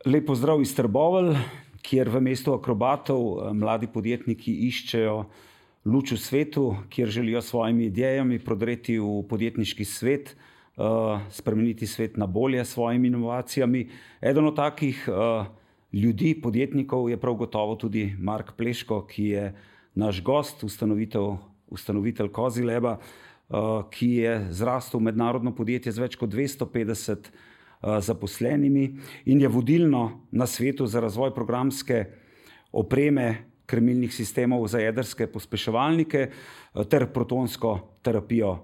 Lep pozdrav iz Trbovelj, kjer v mestu akrobatov mladi podjetniki iščejo luč v svetu, kjer želijo svojimi idejami prodreti v podjetniški svet, spremeniti svet na bolje s svojimi inovacijami. Eden od takih ljudi, podjetnikov je prav gotovo tudi Mark Pleško, ki je naš gost, ustanovitelj Kozilaba, ki je zrastel v mednarodno podjetje z več kot 250 zaposlenimi in je vodilno na svetu za razvoj programske opreme krmilnih sistemov za jedrske pospeševalnike ter protonsko terapijo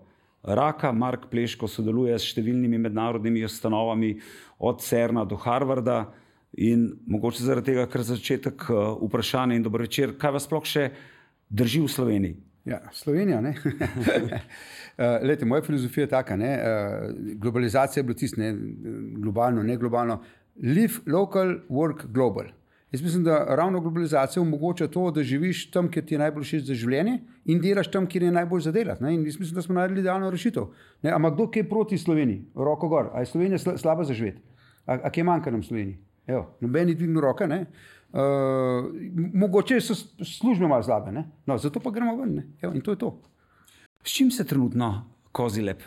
raka. Mark Pleško sodeluje s številnimi mednarodnimi ustanovami od CERN-a do Harvarda in mogoče zaradi tega, kar začetek vprašanja in dober večer, kaj vas sploh še drži v Sloveniji? Ja, Slovenija, ne? Lejte, moja filozofija je taka, ne? Globalizacija je bilo tisto, ne? Globalno, ne globalno. Live local, work global. Jaz mislim, da ravno globalizacija omogoča to, da živiš tam, kjer ti je najbolj všeč za življenje in delaš tam, kjer je najbolj za delati. In jaz mislim, da smo naredili idealno rešitev. Ampak kdo kaj proti Sloveniji? Roko gor. A je Slovenija slaba za živeti? A kaj manjka nam v Sloveniji? Evo, noben je dvignil roke, ne? Mogoče so službe malo slabe, ne? No, zato pa gremo ven, ne? Evo, in to je to. S čim se trenutno Kozilab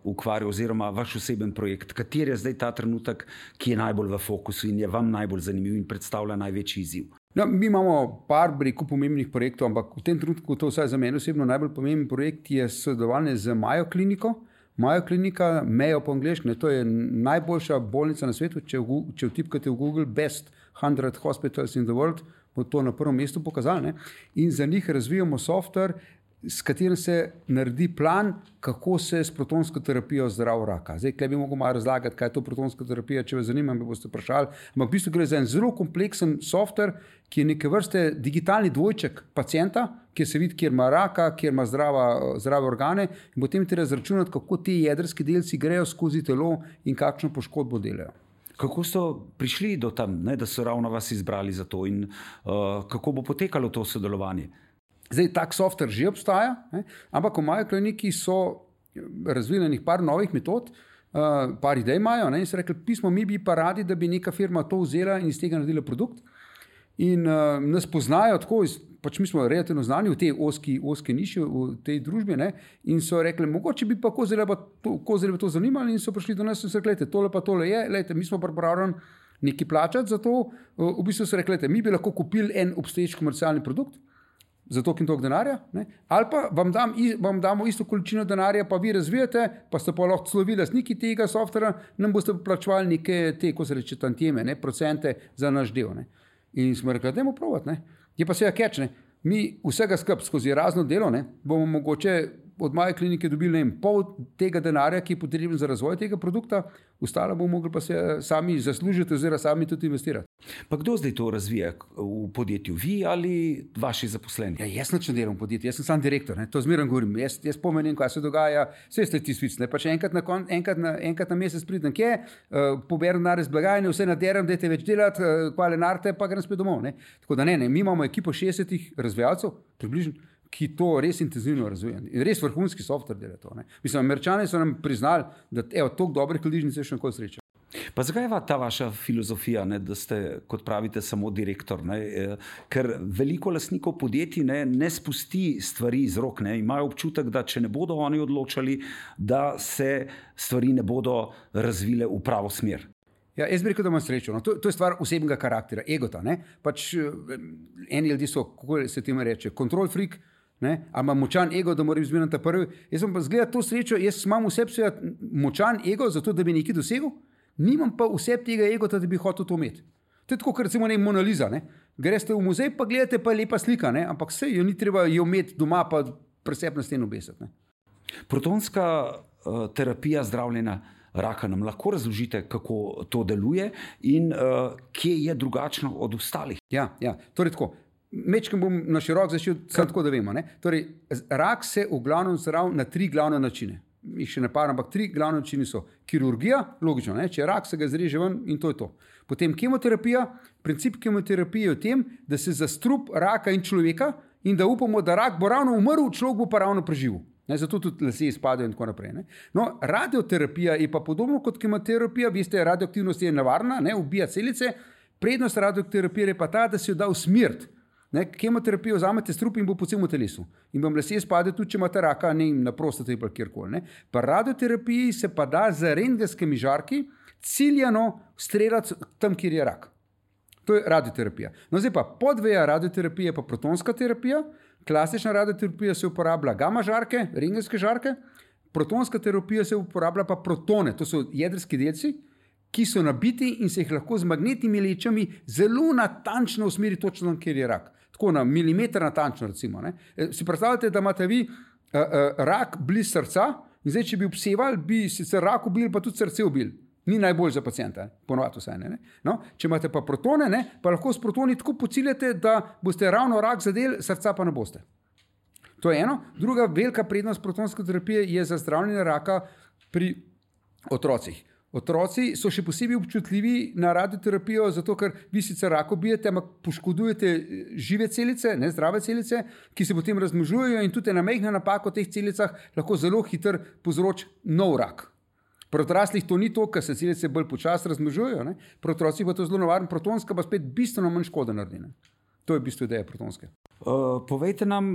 ukvarja oziroma vaš oseben projekt? Kateri je zdaj ta trenutek, ki je najbolj v fokusu in je vam najbolj zanimiv in predstavlja največji izziv? No, mi imamo par pomembnih projektov, ampak v tem trenutku to vsaj za mene osebno najbolj pomemben projekt je sodelovanje z Mayo kliniko. Mayo klinika, Mayo po angleško, to je najboljša bolnica na svetu. Če vtipkate v Google Best 100 Hospitals in the World, bo to na prvem mestu pokazali. In za njih razvijamo software, s katerim se naredi plan, kako se s protonsko terapijo zdravi raka. Zdaj, tukaj bi mogel malo razlagati, kaj je to protonska terapija, če vas zanima, me boste vprašali. Ampak v bistvu gre za en zelo kompleksen software, ki je neke vrste digitalni dvojček pacienta, kjer se vidi, kjer ima raka, kjer ima zdrave organe in potem treba izračunati, kako ti jedrski delci grejo skozi telo in kakšno poškodbo delajo. Kako so prišli do tam, ne, da so ravno vas izbrali za to in kako bo potekalo to sodelovanje? Zdaj, tak software že obstaja, ne? Ampak v Mayo kliniki so razvili par novih metod, par idej imajo, ne? In so rekli, mi bi pa radi, da bi neka firma to vzela in iz tega naredila produkt. In nas poznajo tako, pač mi smo relativno znani v tej ozki niši, v tej družbi, ne? In so rekli, mogoče bi pa Kozilaba to zanimali in so prišli do nas in so rekli, tole pa tole je, lejte, mi smo pripravljeni nekaj plačati za to. V bistvu so rekli, mi bi lahko kupili en obstoječ komercialni produkt, za toliko in toliko denarja, ne? Ali pa vam damo isto količino denarja, pa vi razvijate, pa ste pa lahko celo lastniki tega softvera, nam boste plačevali neke te, ko se reče, tantieme, ne? Procente za naš del. Ne? In smo rekli, dajmo provati. Ne? Je pa seveda catch, ne? Mi vsega skupaj skozi razno delo, ne? Bomo mogoče od Mayo klinike dobili pol tega denarja, ki je potreben za razvoj tega produkta, ostalo bomo mogli pa se sami zaslužiti oziroma sami tudi investirati. Pa kdo zdaj to razvija v podjetju? Vi ali vaši zaposleni? Ja, jaz nič ne delam v podjetju, jaz sem sam direktor, ne? To zmeraj govorim, jaz pomenim, kaj se dogaja, vse ste ti svic, ne? Pač enkrat na mesec pridem kje, poberem denar iz blagajne, vse naderem, dajte več delati, hvale narte, pa grem spet domov. Ne? Tako da ne, mi imamo ekipo 60 razvijalcev, približno, ki to res intenzivno razvijajo. In res vrhunski software dela to. Ne? Mislim, Američani so nam priznali, da toliko dobrih ljudi niso še nikoli srečali. Pa zakaj je ta vaša filozofija, ne, da ste, kot pravite, samo direktor? Ne? Ker veliko lastnikov podjetij ne spusti stvari iz rok. Ne? Imajo občutek, da če ne bodo oni odločali, da se stvari ne bodo razvile v pravo smer. Ja, jaz bi rekel, da imam srečo. No, to je stvar osebnega karaktera, egota. Ne? Pač eni ljudje so, kako se temu reče, control freak, ne? Ali ima močan ego, da moram izmeriti ta prvi. Jaz sem pa zgleda to srečo, jaz imam v sebi močan ego, zato da bi nekaj dosegel, nimam pa v sebi tega egota, da bi hotel to imeti. To je tako, kot recimo Mona Lisa. Ne? Greste v muzej, pa gledate, pa je lepa slika, ne? Ampak sej jo ni treba jo imeti doma, pa preseb na steno obesiti. Protonska terapija zdravljenja raka, nam lahko razložite, kako to deluje in kje je drugačno od ostalih? Ja, torej tako. Mečkem bom na širok začel, tako da vemo. Ne? Torej, rak se v glavnem zdravi na 3 glavne načine. Jih še ne par, ampak 3 glavne načine so. Kirurgija, logično, ne? Če je rak, se ga zreže ven in to je to. Potem kemoterapija, princip kemoterapije je v tem, da se zastrup raka in človeka in da upamo, da rak bo ravno umrl, človek bo pa ravno preživel. Zato tudi lasje izpadajo in tako naprej. Ne? No, radioterapija je pa podobno kot kemoterapija. Veste, radioaktivnost je nevarna, ne? Ubija celice. Prednost radioterapije je pa ta, da si jo da usmeriti. Kemoterapijo vzamete strup in bo po celem telesu. In vam lasje izpade tudi, če imate raka, ne na prostati ali kjerkoli. Pa radioterapiji se pa da z rentgenskimi žarki ciljano streljati tam, kjer je rak. To je radioterapija. No, zdaj pa podveja radioterapije pa protonska terapija. Klasična radioterapija se uporablja gama žarke, rentgenske žarke. Protonska terapija se uporablja pa protone, to so jedrski delci, ki so nabiti in se jih lahko z magnetnimi lečami zelo natančno usmeri točno tam, kjer je rak. Tako na milimeter natančno, recimo. Ne? Si predstavljate, da imate vi rak blizu srca in zdaj, če bi obsevali, bi sicer rak ubil, pa tudi srce ubil. Ni najbolj za pacienta, ponovadi vsaj ne. No? Če imate pa protone, ne, pa lahko s protoni tako pociljate, da boste ravno rak zadeli, srca pa ne boste. To je eno. Druga velika prednost protonske terapije je za zdravljenje raka pri otrocih. Otroci so še posebej občutljivi na radioterapijo, zato ker vi sicer rak ubijete, ampak poškodujete žive celice, ne zdrave celice, ki se potem razmnožujejo in tudi ena majhna napaka v teh celicah lahko zelo hitro povzroči nov rak. Pri odraslih to ni to, ker se celice bolj počasno razmnožujejo, ne? Pri otrocih pa to zelo nevarno, protonska pa spet bistveno manj škode naredi. Ne? To je v bistvu ideja protonske. Povejte nam,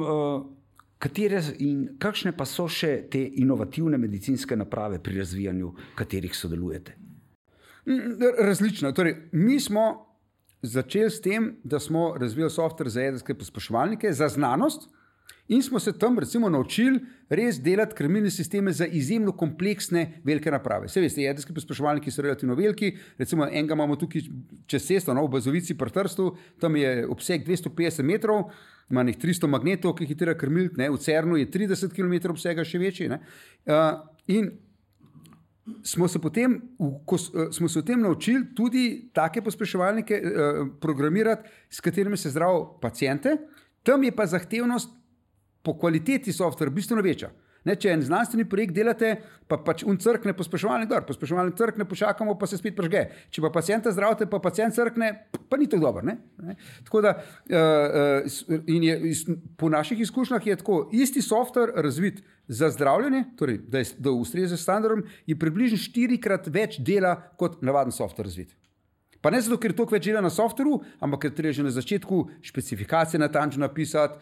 katere in kakšne pa so še te inovativne medicinske naprave, pri razvijanju katerih sodelujete? Različno. Torej, mi smo začeli s tem, da smo razvijali software za jedrske pospeševalnike, za znanost in smo se tam recimo naučili res delati krmilne sisteme za izjemno kompleksne velike naprave. Saj veste, jedrski pospeševalniki so relativno veliki, recimo enega imamo tukaj čez cesto, v Bazovici pri Trstu, tam je obseg 250 metrov, ima 300 magnetov, ki hitira krmilt, v CERN-u je 30 km obsega še večji. In smo se potem naučili tudi take pospeševalnike programirati, s katerimi se zdravijo paciente. Tam je pa zahtevnost po kvaliteti software bistveno večja. Če en znanstveni projekt delate, pa pač crkne pospeševalnik dol, pospeševalnik crkne, počakamo, pa se spet prežge. Če pa pacienta zdravite, pa pacient crkne, pa ni tako dobro. Tako da, po naših izkušnjah je tako, isti software razvit za zdravljenje, torej da ustreza standardom, je približno 4-krat več dela kot navaden software razvit. Pa ne zato, ker je toliko več dela na softveru, ampak ker treba že na začetku specifikacije natančno napisati,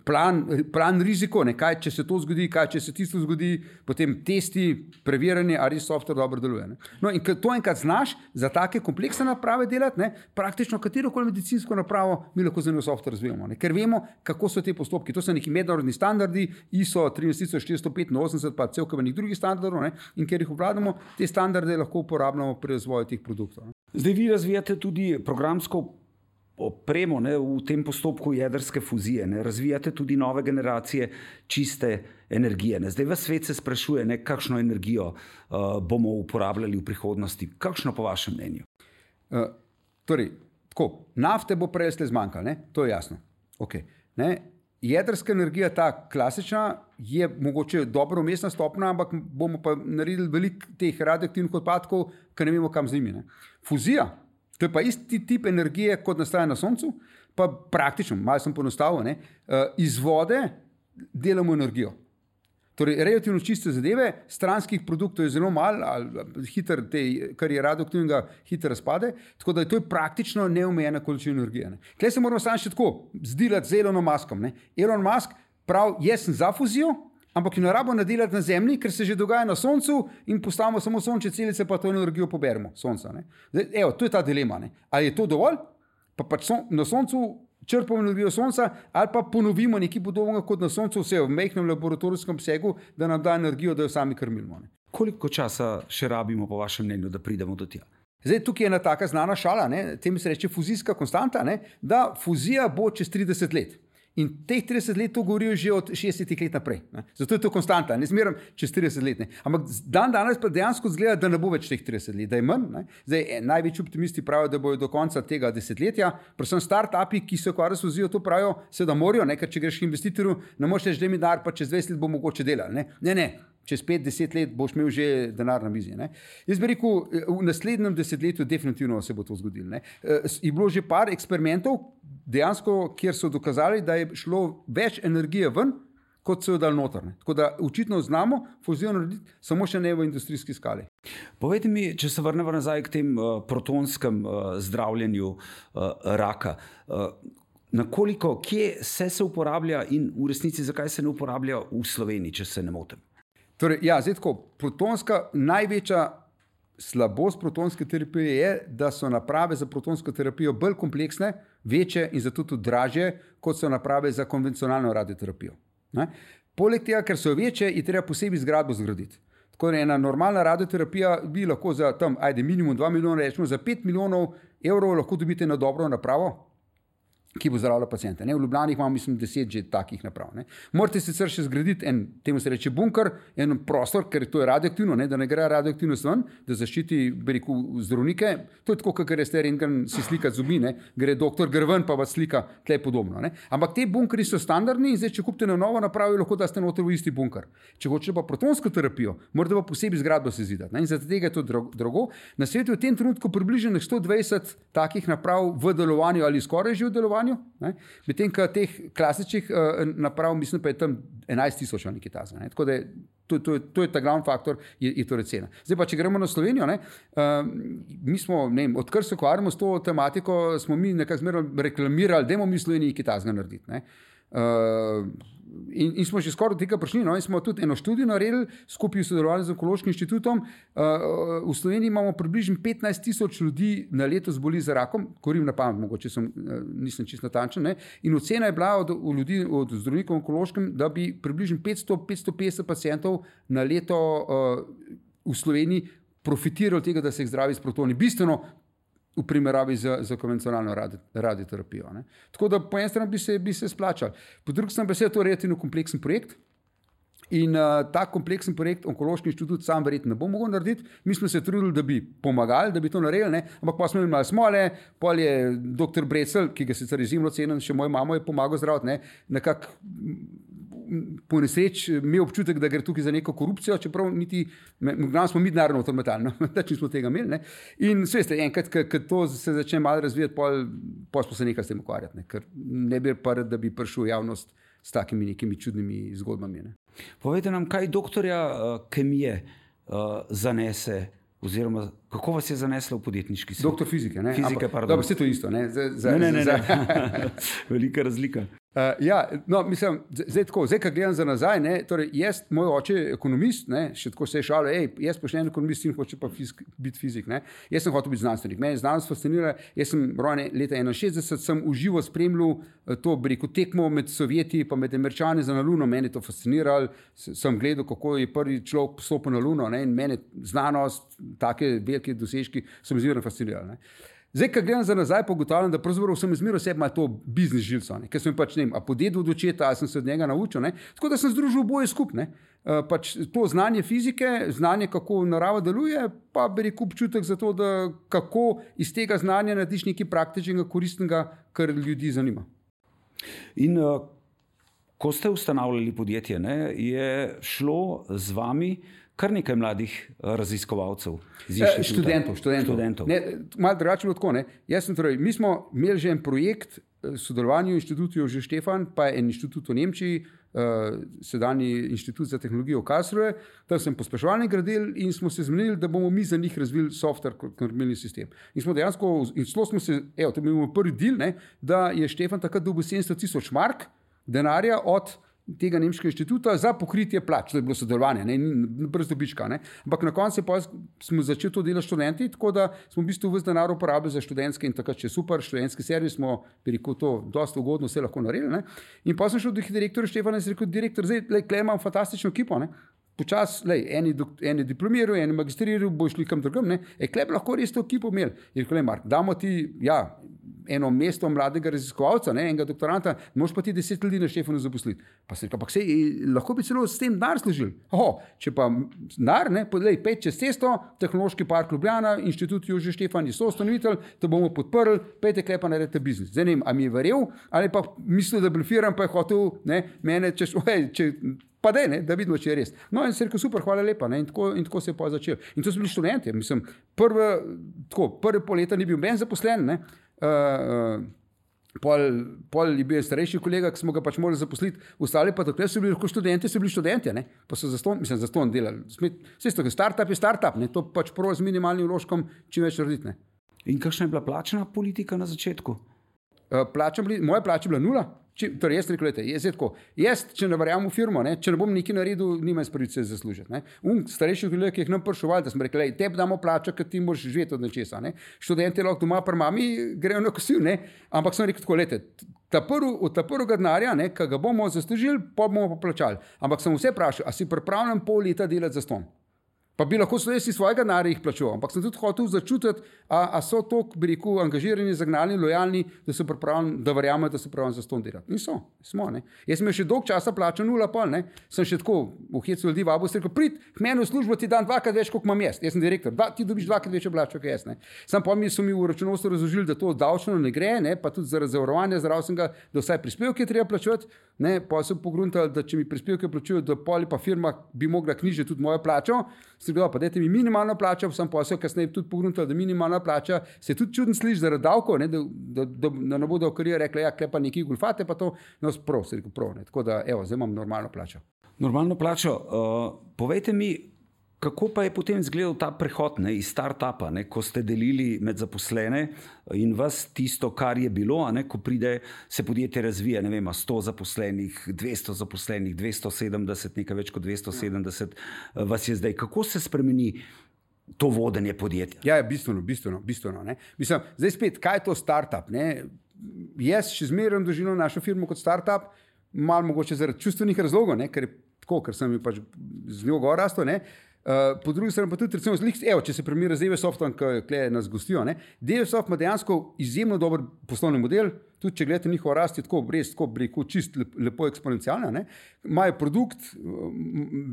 plan riziko, kaj če se to zgodi, kaj če se tisto zgodi, potem testi, preverjanje, ali res softver dobro deluje. No in to enkrat znaš za take kompleksne naprave delati, praktično katerokoli medicinsko napravo mi lahko za njo softver razvijamo, ker vemo, kako so te postopki. To so neki mednarodni standardi, ISO 13485, pa cel kup drugih standardov, in ker jih obvladamo, te standarde lahko uporabljamo pri razvoju teh produktov. Zdaj vi razvijate tudi programsko opremo v tem postopku jedrske fuzije, razvijate tudi nove generacije čiste energije. Zdaj ves svet se sprašuje, kakšno energijo bomo uporabljali v prihodnosti. Kakšno po vašem mnenju? Nafte bo prej zmanjkalo, to je jasno. Okay. Jedrska energija, ta klasična, je mogoče dobro umestna stopnja, ampak bomo pa naredili veliko teh radioaktivnih odpadkov, ki ne vemo, kam z njimi. Fuzija, to je pa isti tip energije, kot nastaja na Soncu, pa praktično, malo sem poenostavil, iz vode delamo energijo. Torej, relativno čiste zadeve, stranskih produktov je zelo malo, kar je radioaktivnega, hitro razpade, tako da to je praktično neomejena količina energije. Tukaj se moramo samo še tako zdilati z Elonom Muskom. Elon Musk pravi, jaz sem za fuzijo, ampak jo ne rabimo nadelati na Zemlji, ker se že dogaja na Soncu in postavimo samo sončne celice, pa to energijo poberemo Sonca. Zdaj, to je ta dilema. Ali je to dovolj? Pa pač na Soncu črpamo energijo Sonca, ali pa ponovimo nekaj podobnega kot na Soncu, vse v majhnem laboratorijskem obsegu, da nam da energijo, da jo sami krmimo. Koliko časa še rabimo, po vašem mnenju, da pridemo do tja? Zdaj, tukaj je ena taka znana šala, temu se reče fuzijska konstanta, da fuzija bo čez 30 let. In teh 30 let to govorijo že od 60 let naprej. Zato je to konstanta, ne zmeram čez 30 let. Ampak danes pa dejansko zgleda, da ne bo več teh 30 let, da je manj. Zdaj, največji optimisti pravijo, da bojo do konca tega desetletja, predvsem start-upi, ki se ukvarjajo s fuzijo, to pravijo, da morajo, ker če greš k investitorju, ne moreš reči, da mi denar, pa čez 20 let bo mogoče delati. Ne. Čez 5-10 let boš imel že denar na mizi. Jaz bi rekel, v naslednjem desetletju definitivno se bo to zgodilo. Je bilo že par eksperimentov, dejansko, kjer so dokazali, da je šlo več energije ven, kot so jo dal noter. Ne. Tako da očitno znamo fuzijo narediti, samo še ne v industrijski skali. Povejte mi, če se vrnemo nazaj k tem protonskem zdravljenju raka. Kje se uporablja in v resnici zakaj se ne uporablja v Sloveniji, če se ne motim? Torej, zdaj tako, največja slabost protonske terapije je, da so naprave za protonsko terapijo bolj kompleksne, večje in zato tudi dražje, kot so naprave za konvencionalno radioterapijo. Ne? Poleg tega, ker so večje, je treba posebej zgradbo zgraditi. Tako da ena normalna radioterapija bi lahko za minimum 2 milijona, rečemo za 5 milijonov evrov lahko dobite na dobro napravo, ki bo zdravila paciente. V Ljubljani imamo, mislim, 10 že takih naprav. Ne. Morate sicer še zgraditi temu se reče bunker, en prostor, ker to je radioaktivno, da ne gre radioaktivnost ven, da zaščiti zdravnike. To je tako, kot greste rentgen si slikati zubi, gre doktor ven pa vas slika, tle podobno. Ne. Ampak te bunkeri so standardni in zdaj, če kupite na novo napravo, lahko da ste noter v isti bunker. Če hočete pa protonsko terapijo, morate pa posebej zgradbo sezidati. In zaradi tega je to drago. Na svetu je v tem trenutku približno 120 takih naprav v delovanju ali skoraj že v delovanju. Medtem, ko teh klasičnih naprav, mislim, pa je tam 11,000 ali nekaj takega. Tako da to je ta glavni faktor, je torej cena. Zdaj pa, če gremo na Slovenijo, mi smo, odkar se ukvarjamo s to tematiko, smo mi nekako zmeraj reklamirali, da bomo mi v Sloveniji kaj takega narediti. In smo že skoraj do tega prišli. In smo tudi eno študijo naredili skupaj v sodelovanju z Onkološkim inštitutom. V Sloveniji imamo približno 15,000 ljudi na leto zboli za rakom, govorim na pamet, mogoče nisem čisto natančen. In ocena je bila od zdravnikov onkološkim, da bi približno 500-550 pacientov na leto v Sloveniji profitirali od tega, da se jih zdravi s protoni. Bistveno v primeravi z konvencionalno radioterapijo. Tako da po eni strani bi se splačali. Po drugi strani pa je to relativno kompleksen projekt in ta kompleksen projekt Onkološki inštitut sam verjetno ne bo mogel narediti. Mi smo se trudili, da bi pomagali, da bi to naredili, ampak pa smo imeli malo smole, pol je dr. Brecelj, ki ga sicer izjemno cenim, še moja mama je pomagal zdraviti, nekako po nesreči imel občutek, da gre tukaj za neko korupcijo, čeprav niti, smo mi denarno odmetali, če smo tega imeli. In veste, enkrat, ko to se začne malo razvijati, pol smo se nekaj s tem ukvarjati, ker ne bi pa rad, da bi prišel v javnost s takimi nekimi čudnimi zgodbami. Povejte nam, kaj doktorja kemije zanese, oziroma kako vas je zaneslo v podjetniški svet? Doktor fizike, ne? Fizike, pardon. Dobro, vse to isto, ne? Ne. Velika razlika. Zdaj, ko gledam za nazaj, torej moj oče je ekonomist, še tako se je šalil, jaz pošten ekonomist in hoče pa biti fizik. Jaz sem hotel biti znanstvenik. Mene je znanost fascinira. Jaz sem rojen leta 61, sem uživo spremljal to tekmo med Sovjeti in med Američani za na Luno. Mene je to fasciniralo. Sem gledal, kako je prvi človek stopil na Luno, in mene znanost, take velike dosežki so me zmerno fascinirali. Zdaj, ko gledam za nazaj, pa ugotavljam, da pravzaprav sem izmeril sebi to biznis živco, ker sem podedel od očeta, ali sem se od njega naučil. Tako da sem združil oboje skupaj. To znanje fizike, znanje, kako narava deluje, pa bi rekel občutek za to, da kako iz tega znanja narediš nekaj praktičnega, koristnega, kar ljudi zanima. In ko ste ustanavljali podjetje, je šlo z vami kar nekaj mladih raziskovalcev, študentov. Malo drugače bilo tako. Mi smo imeli že en projekt v sodelovanju inštitutu Jožef Stefan, pa en inštitut v Nemčiji, sedanji inštitut za tehnologijo v Karlsruhe. Tam sem pospeševalnik gradil in smo se zmenili, da bomo mi za njih razvili software kot normalni sistem. In smo dejansko, to je bil prvi del, da je Stefan takrat dobil 700,000 mark denarja od tega nemškega inštituta za pokritje plač. To je bilo sodelovanje, brez dobička. Ampak na koncu smo začeli to delati študenti, tako da smo v bistvu ves denar uporabili za študentske in takrat še super, študentski servis smo, bi rekel, to dosta ugodno vse lahko naredili. In pa sem šel do direktorja Štefana in sem rekel, direktor, zdaj imam fantastično ekipo, počas, eni diplomiral, eni magistriral, bo šli kam drugam, klep lahko res to ekipo imeli. Je rekel, Mark, damo ti, eno mesto mladega raziskovalca, enega doktoranta, moš pa ti 10 ljudi na Štefanu zaposliti. Pa se rekel, lahko bi celo s tem denar služili. Če pa denar, pej čez cesto, Tehnološki park Ljubljana, inštitut Jožef Stefan je soustanovitelj, to bomo podprli, pejte klepa naredite biznis. Zdaj ne vem, a mi je verjel, ali pa mislil, da blefiram, pa je hotel mene, pa da vidimo, če je res. No, in se rekel, super, hvala lepa. In tako se je pa začel. In to so bili študenti. Mislim, prve pol leta ni bil ben zaposlen, Pol je bil starejši kolega, ki smo ga pač morali zaposliti, ostali pa takrat so bili lahko študenti, ne? Pa so zastonj delali. Vse to, startup je startup, ne? To pač prvo z minimalnim vložkom čim več narediti. In kakšna je bila plačna politika na začetku? Moja plača je bila 0. Torej, jaz rekel, jaz, če ne verjamem v firmo, ne, če ne bom nekaj naredil, nima pravice zaslužiti. Starejši kolega, ki jih nam prišel, da smo rekli, tebi damo plačo, ker ti moraš živeti od nečesa. Študenti lahko doma pri mami grejo na kosil, ampak sem rekel tako, od ta prvega denarja, ki ga bomo zaslužili, pa bomo pa plačali. Ampak sem vse vprašal, a si pripravljen pol leta delati za ston? Pa bi lahko slovenci svojega denarja jih plačal, ampak sem tudi hotel začutiti, a so toliko, bi rekel, angažirani, zagnani, lojalni, da so pripravljeni, da verjamejo, da so pripravljeni za ston delati. In smo. Jaz sem še dolg časa plačal 0,5, sem še tako v hecu ljudi vabil, sem rekel, prid, k meni v službo ti dan 2x več, kot imam jaz. Jaz sem direktor, ti dobiš 2x večjo plačo, kot jaz. Sam pa mi so mi v računovodstvu razložili, da to davčno ne gre, pa tudi zaradi zavarovanja zdravstvenega, da vsaj prispevke treba plačati. Pa so pogruntali, da če mi prispevke plačujejo, da poli pa firma bi mogla knjižiti tudi mojo plačo. Sem rekel, pa dajte mi minimalno plačo, sem posel, kasneje tudi pogruntali, da minimalna plača se tudi čudno sliši zaradi davkov, da ne bodo karier rekli, ja, klepa neki golfate, pa to, no, se rekel, prav. Tako da, evo, zdaj imam normalno plačo. Normalno plačo. Povejte mi, kako pa je potem izgledal ta prehod iz startupa, ko ste delili med zaposlene in vas tisto, kar je bilo, ko pride, se podjetje razvija, ne vem, 100 zaposlenih, 200 zaposlenih, 270, nekaj več kot 270 vas je zdaj. Kako se spremeni to vodenje podjetja? Ja, bistveno. Mislim, zdaj spet, kaj je to startup? Jaz še zmeraj doživljam našo firmo kot startup, malo mogoče zaradi čustvenih razlogov, ker je tako, ker sem pač z njo gor rastel, po drugi strani pa tudi, recimo, če se primerja z DVSoftom, ki nas gostijo, DVSoft ima dejansko izjemno dober poslovni model, tudi če gledate njihov rast, je tako res, čist lepo eksponencialna, imajo produkt,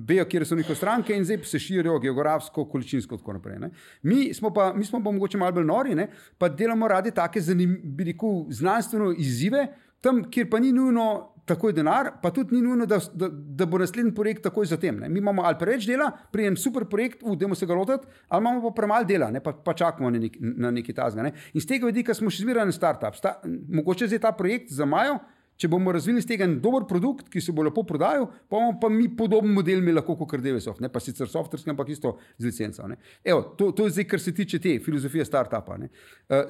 vejo, kjer so njihove stranke in zdaj se širijo geografsko, količinsko, tako naprej. Mi smo pa mogoče malo bolj nori, pa delamo radi take znanstveno izzive, tam, kjer pa ni nujno takoj denar, pa tudi ni nujno, da bo naslednji projekt takoj zatem. Mi imamo ali preveč dela, pri en super projekt, dajmo se ga lotiti, ali imamo pa premalo dela, pa čakamo na neki tazga. In z tega vidika smo še zmeraj startup. Mogoče zdaj ta projekt zamajo, če bomo razvili z tega en dober produkt, ki se bo lepo prodajal, pa bomo pa mi podoben model imeli lahko kot DVSoft, pa sicer softverski, ampak isto z licenco. Evo, to je zdaj, kar se tiče te filozofije startupa.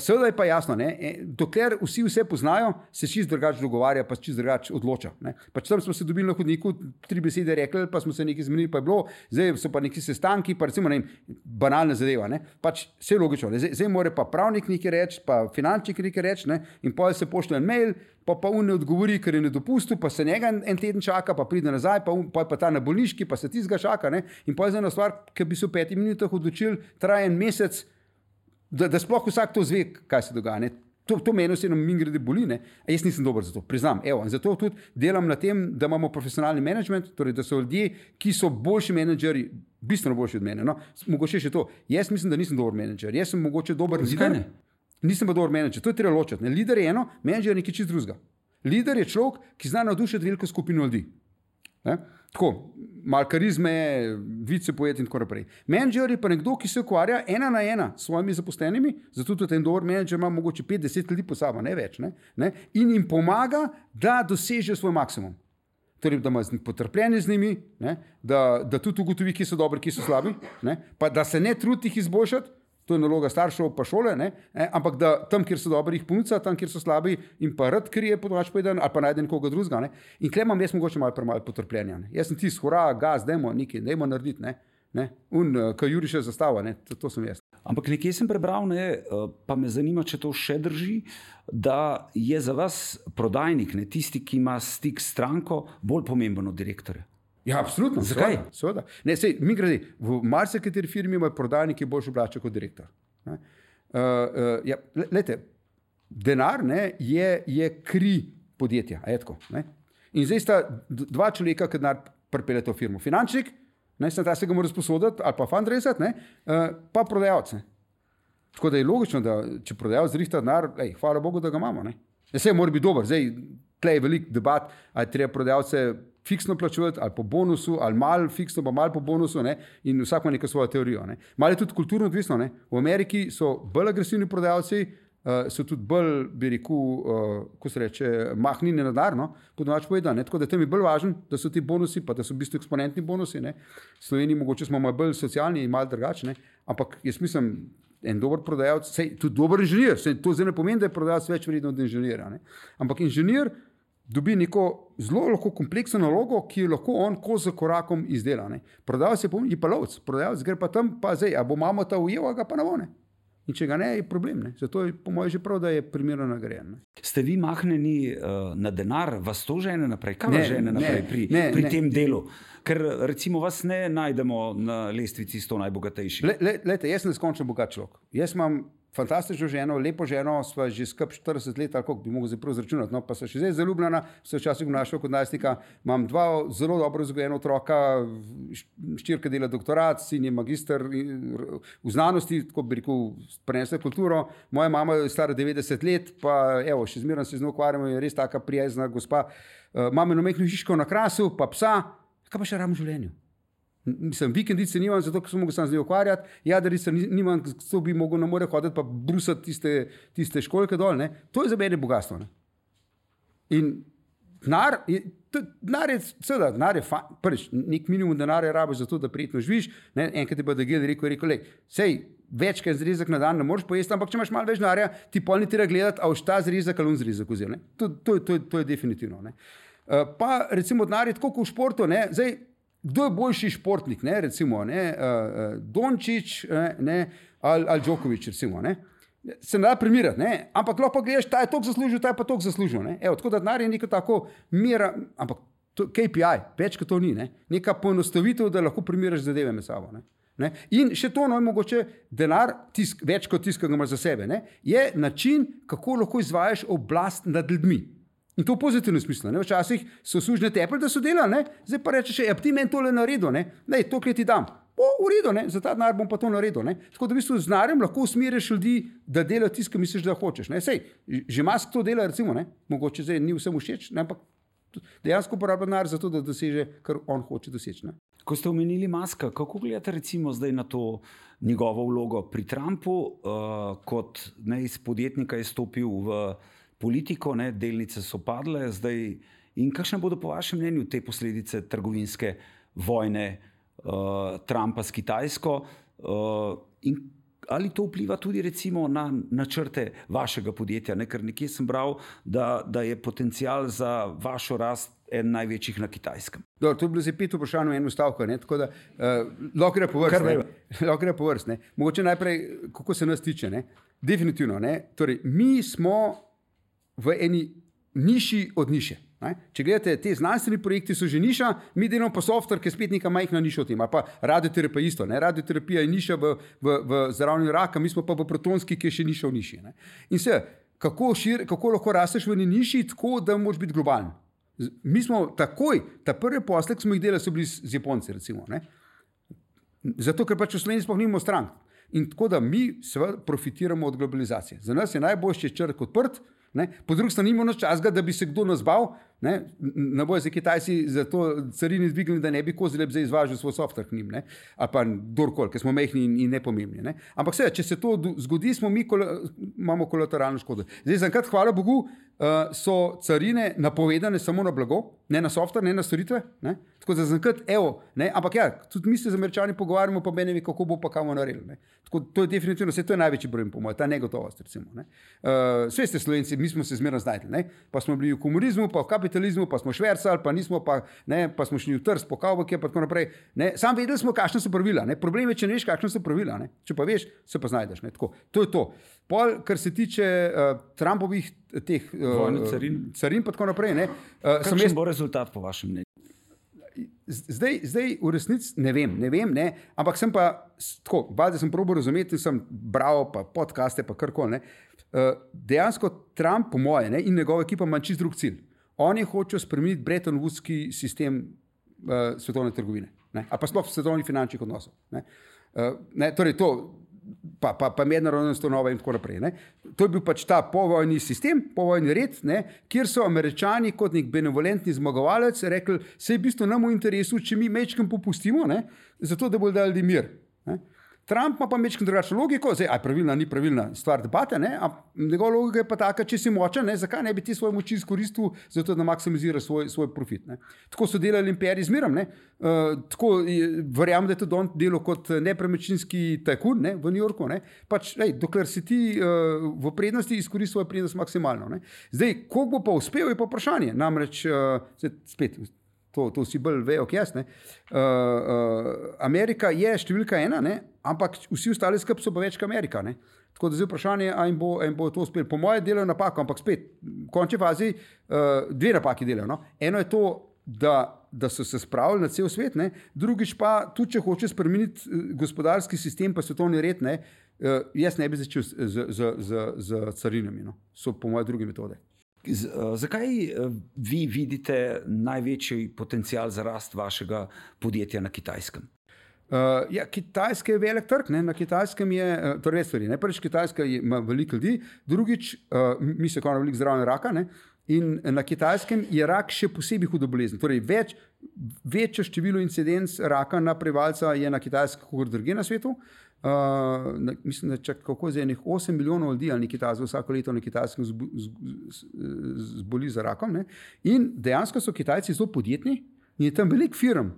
Seveda je pa jasno, dokler vse poznajo, se čist drugače dogovarja, pa čist drugače odloča. Pač tam smo se dobili na hodniku, 3 besede rekli, pa smo se nekaj zmenili, pa je bilo, zdaj so pa neki sestanki, pa recimo banalna zadeva. Pač vse logično. Zdaj mora pa pravnik nekaj reči, pa finančnik nekaj reči, in potem se pošlje en mail, pa on ne odgovori, ker je nedopustil, pa se njega en teden čaka, pa pride nazaj, pa ta na bolniški, pa se tizga čaka. In pa je ena stvar, ki bi se v 5 minutah odločil, traja en mesec, da sploh vsak to zve, kaj se dogaja. To meni osebno grede boli, a jaz nisem dober za to, priznam. Zato tudi delam na tem, da imamo profesionalni management, torej da so ljudje, ki so boljši menedžeri, bistveno boljši od mene. Mogoče še to. Jaz mislim, da nisem dober menedžer. Jaz sem mogoče dober lider. Nisem pa dober menedžer, to je treba ločiti. Lider je eno, menedžer je nekaj čist drugega. Lider je človek, ki zna navdušiti veliko skupino ljudi. Tako, malo karizme, vice pojeti in tako naprej. Menedžer je pa nekdo, ki se ukvarja 1 na 1 s svojimi zaposlenimi, zato tudi en dober menedžer ima mogoče 5-10 ljudi po sabo, ne več, in jim pomaga, da dosežejo svoj maksimum. Torej, da ima potrpljenje z njimi, da tudi ugotovi, ki so dobri, ki so slabi, pa da se ne trudi jih izboljšati. To je naloga staršev pa šole, ampak da tam, kjer so dobri, jih ponuca, tam, kjer so slabi, in pa rad krije, podomač povedan, ali pa najde nekoga drugega. In klej imam jaz mogoče malo premalo potrpljenja. Jaz sem tisti, hura, gaz, dajmo narediti. Kaj Juriša zastava, to sem jaz. Ampak nekje sem prebral, pa me zanima, če to še drži, da je za vas prodajnik, tisti, ki ima stik s stranko, bolj pomemben od direktorja. Ja, absolutno. Zakaj? Seveda. Mi grede, v marsikateri firmi ima prodajnik boljšo plačo kot direktor. Lejte, denar je kri podjetja. In zdaj sta 2 človeka, ki denar pripeljete v firmo. Finančnik, ta se ga mora sposoditi, ali pa fundraisati, pa prodajalec. Tako da je logično, da če prodajalec zrihta denar, hvala Bogu, da ga imamo. Vse mora biti dober. Zdaj, tle je velik debat, ali treba prodajalce fiksno plačevati, ali po bonusu, ali malo fiksno, pa malo po bonusu, in vsak ima neko svojo teorijo. Malo je tudi kulturno odvisno. V Ameriki so bolj agresivni prodajalci, so tudi bolj, bi rekel, ko se reče, mahnine na dar, no, po domač povedano. Tako da tam je bolj važno, da so ti bonusi, pa da so v bistvu eksponentni bonusi. Ne. V Sloveniji mogoče smo malo bolj socialni in malo drugačni, ampak jaz mislim, en dober prodajalec, tudi dober inženir, to zdaj ne pomeni, da je prodajalec več vredno od inženirja. Ne. Ampak inženir dobi neko zelo lahko kompleksno nalogo, ki jo lahko on korak za korakom izdela. Ne. Prodajalec je pa lovec, prodajalec gre pa tam, pa zdaj, a bo mamo ta ujel, a ga pa ne bo. Ne. In če ga ne, je problem. Ne. Zato je po mojem že prav, da je primerno nagrajen. Ste vi mahneni na denar, vas to žene naprej? Kaj vas žene naprej pri tem delu? Ker recimo vas ne najdemo na lestvici 100 najbogatejših. Lejte, jaz sem neskončno bogat človek. Jaz imam fantastično ženo, lepo ženo, sva že skupaj 40 let, ali koliko bi mogel zdaj prav izračunati, no, pa sem še zdaj zaljubljena, se včasih obnašala kot najstnika, imam 2 zelo dobro vzgojena otroka, štirka dela doktorat, sin je magister v znanosti, tako bi rekel, prenesla kulturo, moja mama je stara 90 let, pa evo, še zmeraj se z njo ukvarjamo, je res taka prijazna gospa, imam eno majhno hiško na Krasu, pa psa, kaj pa še rabim v življenju? Mislim, vikendice nimam, zato ker sem mogel sam z njim ukvarjati, jadrica nimam, zato bi mogel na more hoditi pa brusati tiste školjke dol. Ne. To je za mene bogatstvo. Ne. In denar je, seveda, denar je prvič, nek minimum denarja rabiš za to, da prijetno živiš. Ne. Enkrat je Badagel rekel, sej, več kaj zrezek na dan ne moreš pojesti, ampak če imaš malo več denarja, ti pol ni treba gledati, a už ta zrezek ali on zrezek vzel. To je definitivno. Ne. Pa recimo denar je tako kot v športu, ne. Zdaj, kdo je boljši športnik, ne, recimo, ne, Dončić, ne, ali Djokovic, recimo, ne. Se ne da primerjati, ne, ampak lahko gledaš, ta je toliko zaslužil, ta je pa toliko zaslužil, ne. Evo, tako da denar je neka tako mera, ampak KPI, več kot to ni, ne. Neka poenostavitev, da lahko primerjaš zadeve med sabo, ne. Ne. In še to, no, je mogoče denar, več kot tisk, ki ga imaš za sebe, ne, je način, kako lahko izvajaš oblast nad ljudmi. In to v pozitivnem smislu. Ne? Včasih so služne tepli, da so delali, ne? Zdaj pa rečeš, ti meni tole naredil, ne, to kje ti dam. V redu, ne? Za ta denar bom pa to naredil. Ne? Tako da v bistvu z denarjem lahko usmeriš ljudi, da delajo tisto, kar misliš, da hočeš. Ne? Sej, že Musk to dela, recimo, ne? Mogoče zdaj ni vsem všeč, ne? Ampak dejansko uporablja denar za to, da doseže, kar on hoče doseči. Ne? Ko ste omenili Muska, kako gledate recimo zdaj na to njegovo vlogo pri Trumpu, kot iz podjetnika je stopil v politiko, ne, delnice so padle zdaj. In kakšne bodo po vašem mnenju te posledice trgovinske vojne Trumpa s Kitajsko in ali to vpliva tudi recimo na načrte vašega podjetja, ne? Ker nekje sem bral, da je potencial za vašo rast en največjih na Kitajskem. To je bilo zdaj 5 vprašanj v eno stavko, ne? Tako da lahko gre po vrst. Mogoče najprej, kako se nas tiče. Ne? Definitivno. Ne? Torej, mi smo v eni niši od niše. Ne? Če gledate, te znanstveni projekti so že niša, mi delamo pa software, ki je spet neka majhna niša od tem. Pa radioterapija isto. Ne? Radioterapija je niša v zdravljenju raka, mi smo pa v protonski, ki je še niša v niši. Ne? In se, kako lahko rasteš v eni niši, tako da moraš biti globalen. Mi smo takoj, ta prvi posle, ki smo jih delali, so bili z Japonci, recimo. Ne? Zato, ker pač v Sloveniji sploh nimamo strank. In tako da mi seveda profitiramo od globalizacije. Za nas je najboljši črk odprt, ne? Po drugi strani nimamo časa, da bi se kdo nazbal, ne bojo se Kitajci za to carini dvignili, da ne bi Kozilep zdaj izvažal svoj software k njim, ne? Ali pa kdorkoli, ker smo mehni in nepomembni. Ne? Ampak seveda, če se to zgodi, imamo kolateralno škodo. Zdaj, zaenkrat, hvala Bogu, so carine napovedane samo na blago, ne na software, ne na storitve. Ne? Tako da zaenkrat, evo, ne? Ampak ja, tudi mi se z Američani pogovarjamo, pa meni, kako bo pa kamo naredili. Tako to je definitivno, to je največji problem, po mojem, ta negotovost, recimo. Ne? Sve ste Slovenci, mi smo se zmerno znajdli, ne? Pa smo bili v komunizmu, pa v kapitalizmu, pa smo švercali, pa nismo, pa smo šli v Trst, po kavbake, pa tako naprej. Ne? Sam vedeli smo, kakšne so pravila. Ne? Problem je, če ne veš, kakšne so pravila. Ne? Če pa veš, se pa znajdeš. Ne? Tako, to je to. Pol, kar se tiče Trumpovih teh carin, pa tako naprej. Kakšen bo rezultat po vašem mnenju? Zdaj v resnici ne vem, ne? Ampak sem pa tako, valjda sem probal razumeti, sem bral pa podcaste, pa karkoli. Dejansko Trump, po moje, ne, in njegova ekipa ima čisto drug cilj. Oni hočejo spremeniti Bretton Woodski sistem svetovne trgovine, ne? A pa sploh svetovnih finančnih odnosov. Torej to, pa mednarodne ustanove in tako naprej. Ne? To je bil pač ta povojni sistem, povojni red, ne? Kjer so Američani kot nek benevolentni zmagovalec rekli, se je v bistvu nam v interesu, če mi mečkem popustimo, ne? Zato da bodo dali mir. Ne? Trump ima pa mečkim drugačno logiko, zdaj, aj pravilna, ni pravilna stvar debate, njegova logika je pa taka, če si močen, zakaj ne bi ti svoje moči izkoristil za to, da maksimizira svoj profit. Tako so delali imperiji z mirom, tako verjamem, da je tudi on delal kot nepremičninski tajkun v New Yorku, pač, dokler si ti v prednosti izkoristil svojo prednost maksimalno. Zdaj, koliko bo pa uspel, je pa vprašanje, namreč spet, to vsi bolj vejo, jaz. Amerika je številka 1, ampak vsi ostali skupaj so pa več kot Amerika. Tako da zdaj vprašanje, a jim bo to uspelo. Po moje delajo napako, ampak spet, v končni fazi dve napaki delajo. Eno je to, da so se spravili na cel svet, drugič pa, tudi če hoče spremeniti gospodarski sistem pa svetovni red, jaz ne bi začel z carinami. So po moje druge metode. Zakaj vi vidite največji potencial za rast vašega podjetja na Kitajskem? Kitajska je velik trg. Na Kitajskem je torej več stvari. Prvič, Kitajska ima veliko ljudi, drugič, mi se konamo veliko zdravljenja raka, in na Kitajskem je rak še posebej hudo bolezen. Torej, večje število incidenc raka na prebivalca je na Kitajskem kot drugje na svetu. Mislim, da kako je 8 milijonov ljudi ali nekaj takega vsako leto na Kitajskem zboli za rakom. In dejansko so Kitajci zelo podjetni in je tam veliko firm,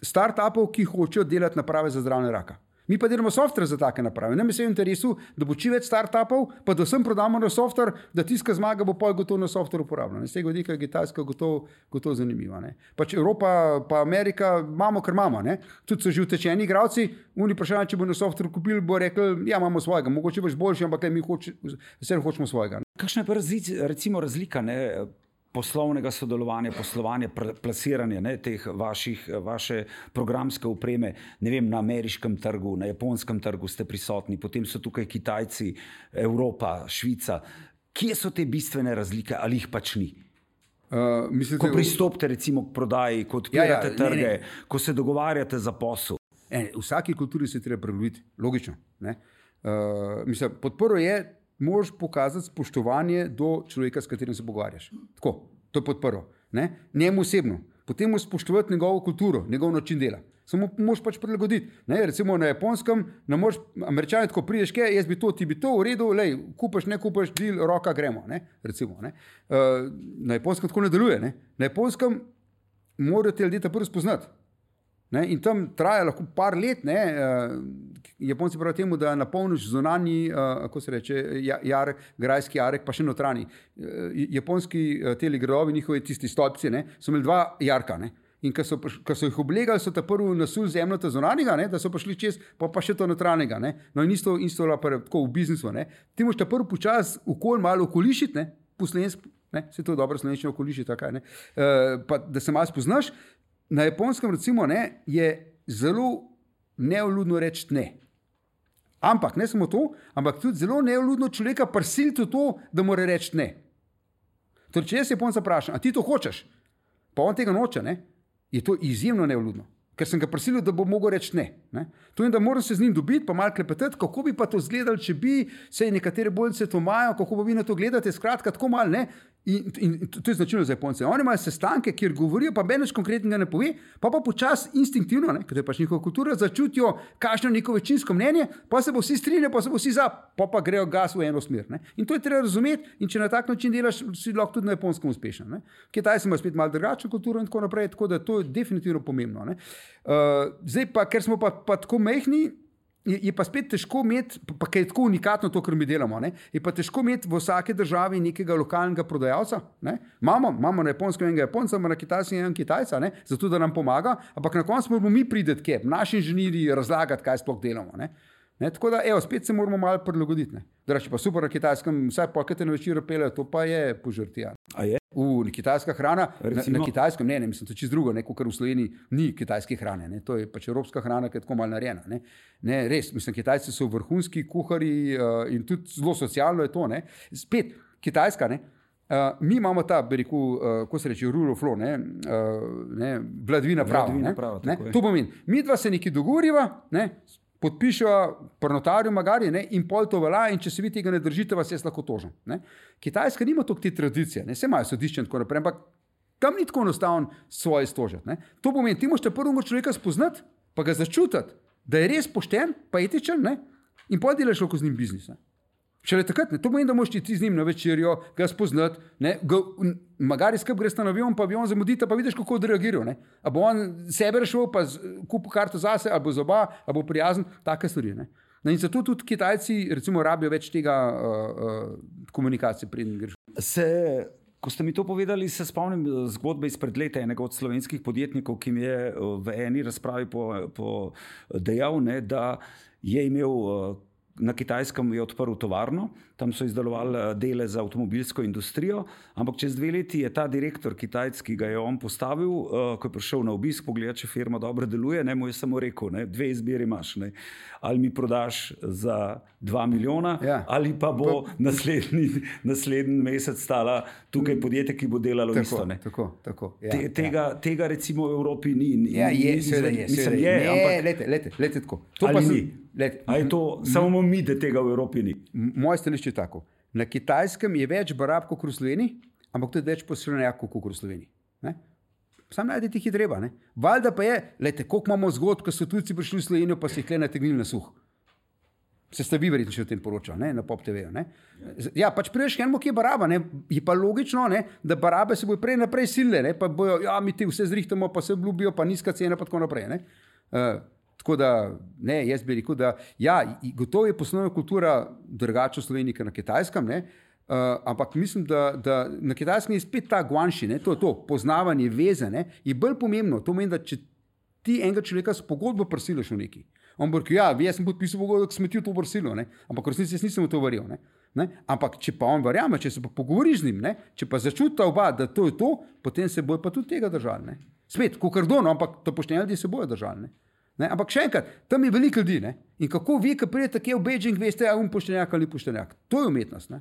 start-upov, ki hočejo delati naprave za zdravljenje raka. Mi pa delamo software za take naprave. Nam je v interesu, da bo čim več start-upov, pa da vsem prodamo na software, da tiska zmaga bo pol gotovo na software uporabljena. Z tega vidika je Kitajska gotovo zanimiva. Pač Evropa pa Amerika imamo, kar imamo. Tudi so že utečeni igralci, oni vprašanje, če bo na software kupili, bo rekel, ja, imamo svojega, mogoče boš boljši, ampak mi vse hočemo svojega. Kakšna je pa recimo razlika, poslovnega sodelovanja, poslovanja, plasiranja vaše programske opreme, ne vem, na ameriškem trgu, na japonskem trgu ste prisotni, potem so tukaj Kitajci, Evropa, Švica. Kje so te bistvene razlike ali jih pač ni? Ko pristopite recimo k prodaji, ko odpirate trge, ko se dogovarjate za posel? V vsaki kulturi se treba prilagoditi, logično. Podporo je, moraš pokazati spoštovanje do človeka, s katerim se pogovarjaš. Tako, to je podprlo. Njemu osebno. Potem moraš spoštovati njegovo kulturo, njegov način dela. Samo moraš pač prilagoditi. Recimo na Japonskem, Američani tako prideš, jaz bi to, ti bi to, v redu, kupaš, ne kupaš, deal, roka, gremo. Recimo, na Japonskem tako ne deluje. Na Japonskem morajo te ljudje prvo spoznati. In tam traja lahko par let. Japonci pravijo temu, da napolniš zunanji, kako se reče, jarek, grajski jarek, pa še notranji. Japonski teli gradovi, njihovi tisti stolpci, so imeli 2 jarka. In ko so jih oblegali, so ta prvo nasul zemljo ta zunanjega, da so pa šli čez, pa še to notranjega. No in isto tako v biznisu. Ti moraš ta prvo počas malo okolišiti, po slovensko, se to dobro slovenščino okolišiti, pa da se malo spoznaš. Na Japonskem recimo je zelo nevljudno reči ne. Ampak ne samo to, ampak tudi zelo nevljudno človeka prisiliti v to, da mora reči ne. Torej, če jaz Japonca vprašam, a ti to hočeš, pa on tega noče, je to izjemno nevljudno. Ker sem ga prisilil, da bo mogel reči ne. To je, da moram se z njim dobiti, pa malo klepetati, kako bi pa to izgledalo, če bi se nekatere bolnice to imajo, kako pa vi na to gledate, skratka, tako malo, In to je značilno za Japonce. Oni imajo sestanke, kjer govorijo, pa nič konkretnega ne pove, pa počasi instinktivno, ker je pač njihova kultura, začutijo, kakšno je njihovo večinsko mnenje, pa se bo vsi strinjali, pa se bo vsi za, pa grejo gas v eno smer. In to je treba razumeti, in če na tak način delaš, si lahko tudi na Japonskem uspešen. Kitajci imajo spet malo drugačno kulturo in tako naprej, tako da to je definitivno pomembno. Zdaj pa, ker smo pa tako majhni, je pa spet težko imeti, pa kaj je tako unikatno to, kar mi delamo, je pa težko imeti v vsaki državi nekega lokalnega prodajalca. Imamo na Japonskem enega Japonca, na Kitajskem enega Kitajca, zato da nam pomaga, ampak na koncu moramo mi priti kje, naši inženirji razlagati, kaj sploh delamo. Tako da, spet se moramo malo prilagoditi. Drugače pa super na Kitajskem, vsaj pakete na večer peljejo, to pa je požrtija. A je? Kitajska hrana, na Kitajskem, mislim, to je čisto drugo, ker v Sloveniji ni kitajske hrane, to je pač evropska hrana, ki je tako malo narejena. Res, mislim, Kitajci so vrhunski kuharji in tudi zelo socialno je to. Spet, Kitajska, mi imamo ta, bi rekel, ko se reče, rule of law, vladavina prava. To pomeni, mi dva se nekaj dogovoriva, podpišejo pri notarju magari, in pol to velja, in če se vi tega ne držite, vas jaz lahko tožim. Kitajska nima toliko te tradicije, se imajo sodišče in tako naprej, ampak tam ni tako enostavno svoje stožiti. To pomeni, ti moraš te prvega človeka spoznati, pa ga začutiti, da je res pošten, pa etičen, ne? In pa delaš lahko z njim biznis. Ne? Šele takrat, ne? To pomeni, da moraš iti z njim na večerjo, ga spoznati, magari skrb greš na avion, pa avion zamudita, pa vidiš, kako odreagiral. A bo on sebe rešil, pa kupil karto zase, ali bo za oba, ali bo prijazen, take stvari. Ne? In zato tudi Kitajci recimo rabijo več tega komunikacije. Ko ste mi to povedali, se spomnim zgodbe izpred leta enega od slovenskih podjetnikov, ki mi je v eni razpravi dejal, ne, da je imel na Kitajskem odprl tovarno, tam so izdelovali dele za avtomobilsko industrijo, ampak čez 2 leti je ta direktor Kitajc, ki ga je on postavil, ko je prišel na obisk pogledati, če firma dobro deluje, ne, mu je samo rekel, ne, 2 izbiri imaš, ne, ali mi prodaš za 2 milijona, ali pa bo naslednji mesec stala tukaj podjetje, ki bo delalo isto. Ne. Tako. Tega recimo v Evropi ni. Lete tako. A je to samo mi, da tega v Evropi ni? Moje stališče je tako. Na Kitajskem je več barab kot v Sloveniji, ampak tudi več poslovnjakov kot v Sloveniji. Sam najdete jih je treba. Valjda pa je, koliko imamo zgodb, ko so tujci prišli v Slovenijo, pa se jih nategnili na suh. Se ste vi verjetno še o tem poročali, na Pop TV. Ja, pač priješ enemu, ki je baraba. Je pa logično, da barabe se bojo prej naprej silile, pa bojo, mi ti vse zrihtamo, pa se obljubijo, pa nizka cena, pa tako naprej. Tako da, jaz bi rekel, da gotovo je poslovna kultura drugačna v Sloveniji, kot na Kitajskem, ampak mislim, da na Kitajskem je spet ta guanxi, to poznavanje, veze, je bolj pomembno. To pomeni, da če ti enega človeka s pogodbo prisiliš v neki, on bo rekel, jaz sem podpisal pogodbo, da sem ti v to prisilo, ampak v resnici jaz nisem v to verjel. Ampak če pa on verjame, če se pa pogovoriš z njim, če pa začuta oba, da to je to, potem se bojo pa tudi tega držali. Spet, kokardono, ampak to pošteni ljudje se bojo držali. Ampak še enkrat, tam je veliko ljudi. In kako vi, ki pridete v Beijing, veste, ali je poštenjak ali ni poštenjak. To je umetnost.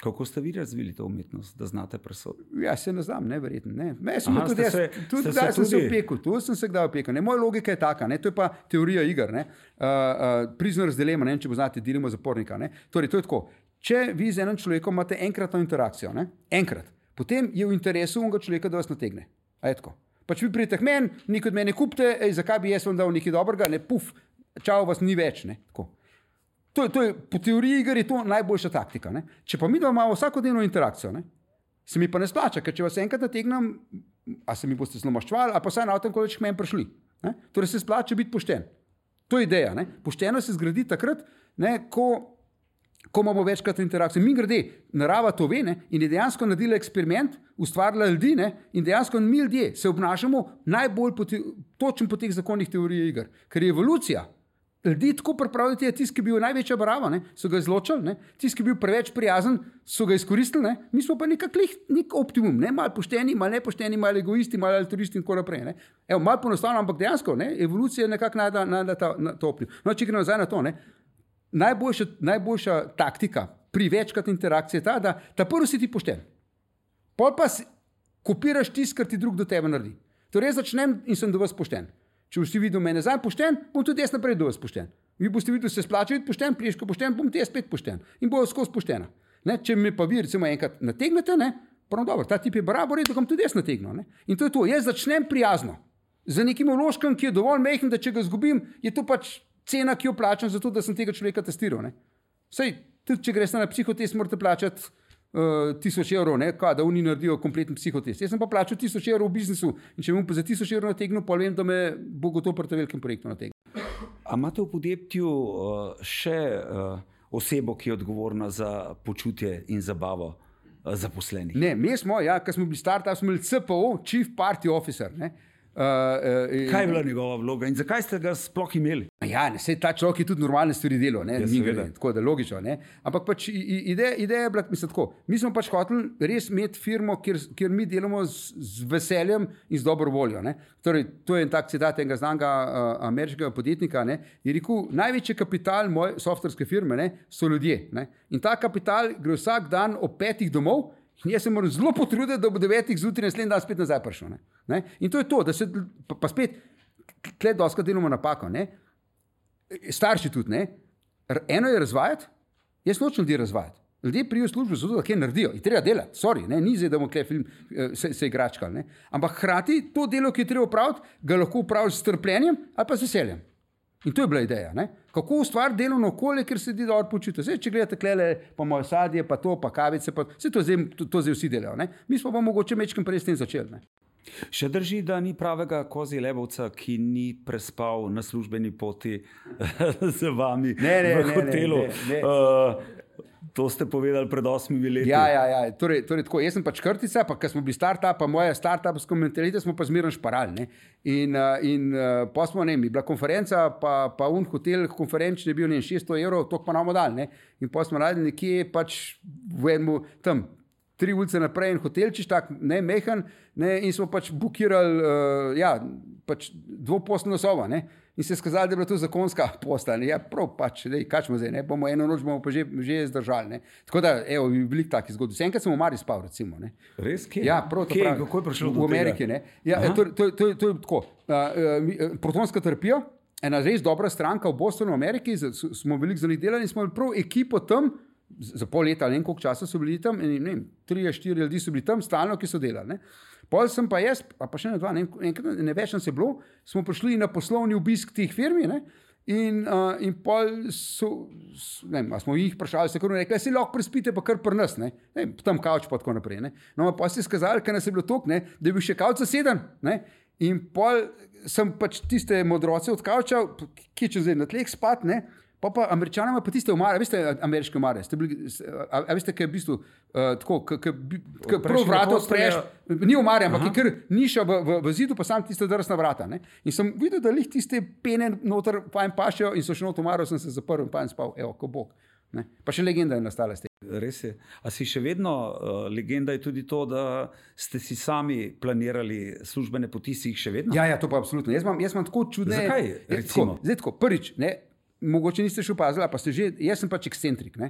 Kako ste vi razvili to umetnost, da znate presoditi? Ja, se ne znam, verjetno. Sem se opekel, tu sem se kdaj opekel. Moja logika je taka, to je pa teorija iger. Prisoner's dilemma, če poznate dilemo zapornika. Torej, to je tako. Če vi z enim človekom imate enkratno interakcijo, enkrat, potem je v interesu unega človeka, da vas nategne. A je tako. Pač vi pridete k meni, nikoli od mene kupite, zakaj bi jaz vam dal nekaj dobrega, čau, vas ni več. To je, po teoriji igre je to najboljša taktika. Če pa mi imamo vsakodnevno interakcijo, se mi pa ne splača, ker če vas enkrat nategnem, a se mi boste zelo maščevali, a pa saj na avtem, ko več k meni prišli. Torej se splača biti pošten. To je ideja. Pošteno se zgradi takrat, ko imamo večkrat interakcijo. Mi grede, narava to ve in je dejansko naredila eksperiment, ustvarila ljudi in dejansko mi ljudje se obnašamo najbolj točno po teh zakonih teorije iger. Ker je evolucija. Ljudi tako pripravljati, tisti, ki je bil največja barava, so ga izločili, tisti, ki je bil preveč prijazen, so ga izkoristili, mi smo pa nek optimum, malo pošteni, malo nepošteni, malo egoisti, malo altruisti in tako naprej. Evo, malo ponostavno, ampak dejansko, evolucija nekako najde ta optimum. No, če gre nazaj na to, najboljša taktika pri večkrat interakciji je ta, da prvo si ti pošten. Pol pa kopiraš tisto, kar ti drug do tebe naredi. Torej, začnem in sem do vas pošten. Če boste videli mene zdaj pošten, bom tudi jaz naprej do vas pošten. Vi boste videli, se splača biti pošten, priješ ko pošten, bom ti jaz spet pošten. In bo skozi poštena. Če me pa vi recimo enkrat nategnete, prav dobro, ta tip je barabo redo, kam tudi jaz nategnil. In to je to, jaz začnem prijazno. Za nekim vložkom, ki je dovolj majhen, da če ga izgubim, je to pač cena, ki jo plačam za to, da sem tega človeka testiral. Saj, tudi če greste na psihotest, morate plačati 1000 evrov, da oni naredijo kompleten psihotest. Jaz sem pa plačal 1000 evrov v biznisu in če bom pa za 1000 evrov nategnil, pa vem, da me bo gotovo pri velikem projektu nategnil. A imate v podjetju še osebo, ki je odgovorna za počutje in zabavo zaposlenih? Ne, mi smo, ko smo bili startup, smo imeli CPO, Chief Party Officer. Kaj je bila njegova vloga in zakaj ste ga sploh imeli? Ta človek je tudi normalne stvari delal, tako da logično. Ampak pač ideja je bila, mislim tako, mi smo pač hoteli res imeti firmo, kjer mi delamo z veseljem in z dobro voljo. Torej, to je en tak citat enega znanega ameriškega podjetnika, je rekel, največji kapital moje softverske firme so ljudje. In ta kapital gre vsak dan ob 5 domov. In jaz se moram zelo potruditi, da bo 9 zjutraj naslednji dan spet nazaj prišel. In to je to, da se pa spet, tukaj doskrat delamo napako. Starši tudi. Eno je razvajati, jaz nočem ljudi razvajati. Ljudje prijo v službo zato, da kaj naredijo. In treba delati, ni zdaj, da bomo film se igračkali. Ampak hkrati to delo, ki je treba opraviti, ga lahko opraviš s trpljenjem ali pa z veseljem. In to je bila ideja. Ne? Kako ustvariti delovno okolje, kjer se ljudi dobro počutijo. Zdaj, če gledate klele, pa moje sadje, pa to, pa kavice, pa vse to zdaj vsi delajo. Ne? Mi smo pa mogoče mečkim prej s tem začeli. Ne? Še drži, da ni pravega kozji lebovca, ki ni prespal na službeni poti z vami v hotelu. Ne. To ste povedali pred 8 leti. Ja. Torej, tako, jaz sem pač krtica, pa ko smo bili startup, pa moja startupska mentaliteto smo pa zmerno šparali. In pa smo, je bila konferenca, pa hotel konferenčni je bil 600 €, toliko pa nam dal. In pa smo radili nekje pač v enem tam 3 ulice naprej in hotelčiš, tak mehen, in smo pač bukirali pač dvoposteljno sobo. In se je skazali, da je bila to zakonska postelja. Ja, prav pač, kaj smo zdaj, bomo eno noč bomo pa že zdržali. Tako da, evo, veliko takih zgodb. Enkrat sem v Mari spal, recimo. Res? Kje? Ja, prav to pravi. Kako je prišlo do tega? V Ameriki, ne. Ja, to je tako. Protonska terapija, ena res dobra stranka v Bostonu, v Ameriki, smo veliko za njih delali in smo imeli prav ekipo tam, za pol leta, ne vem koliko časa so bili tam, in 3-4 ljudi so bili tam stalno, ki so delali. Pol sem pa jaz, pa še ne več nas je bilo, smo prišli na poslovni obisk teh firmi, in pol smo jih vprašali, se rekli, si lahko prespite, pa kar pri nas, tam kavč pa tako naprej. No, pa si skazali, ker nas je bilo toliko, da je bil še kavč zaseden, in pol sem pač tiste modroce od kavča, ki če zdaj na tleh spat, pa Američanama pa tiste omare, veste, ameriške omare, a veste, kaj je v bistvu tako, prvo vrato odpreš, ni omare, ampak je kar niša v zidu, pa sam tiste drsna vrata. In sem videl, da lih tiste pene noter fajn pašejo in so še not omaro, sem se zaprl in fajn spal, evo, ko bog. Pa še legenda je nastala s tem. Res je. A si še vedno, legenda je tudi to, da ste si sami planirali službene poti, si jih še vedno? Ja, to pa absolutno. Jaz imam tako čudne... Zakaj, recimo? Zdaj tako, prvič, mogoče niste še opazili, pa ste že, jaz sem pač ekscentrik,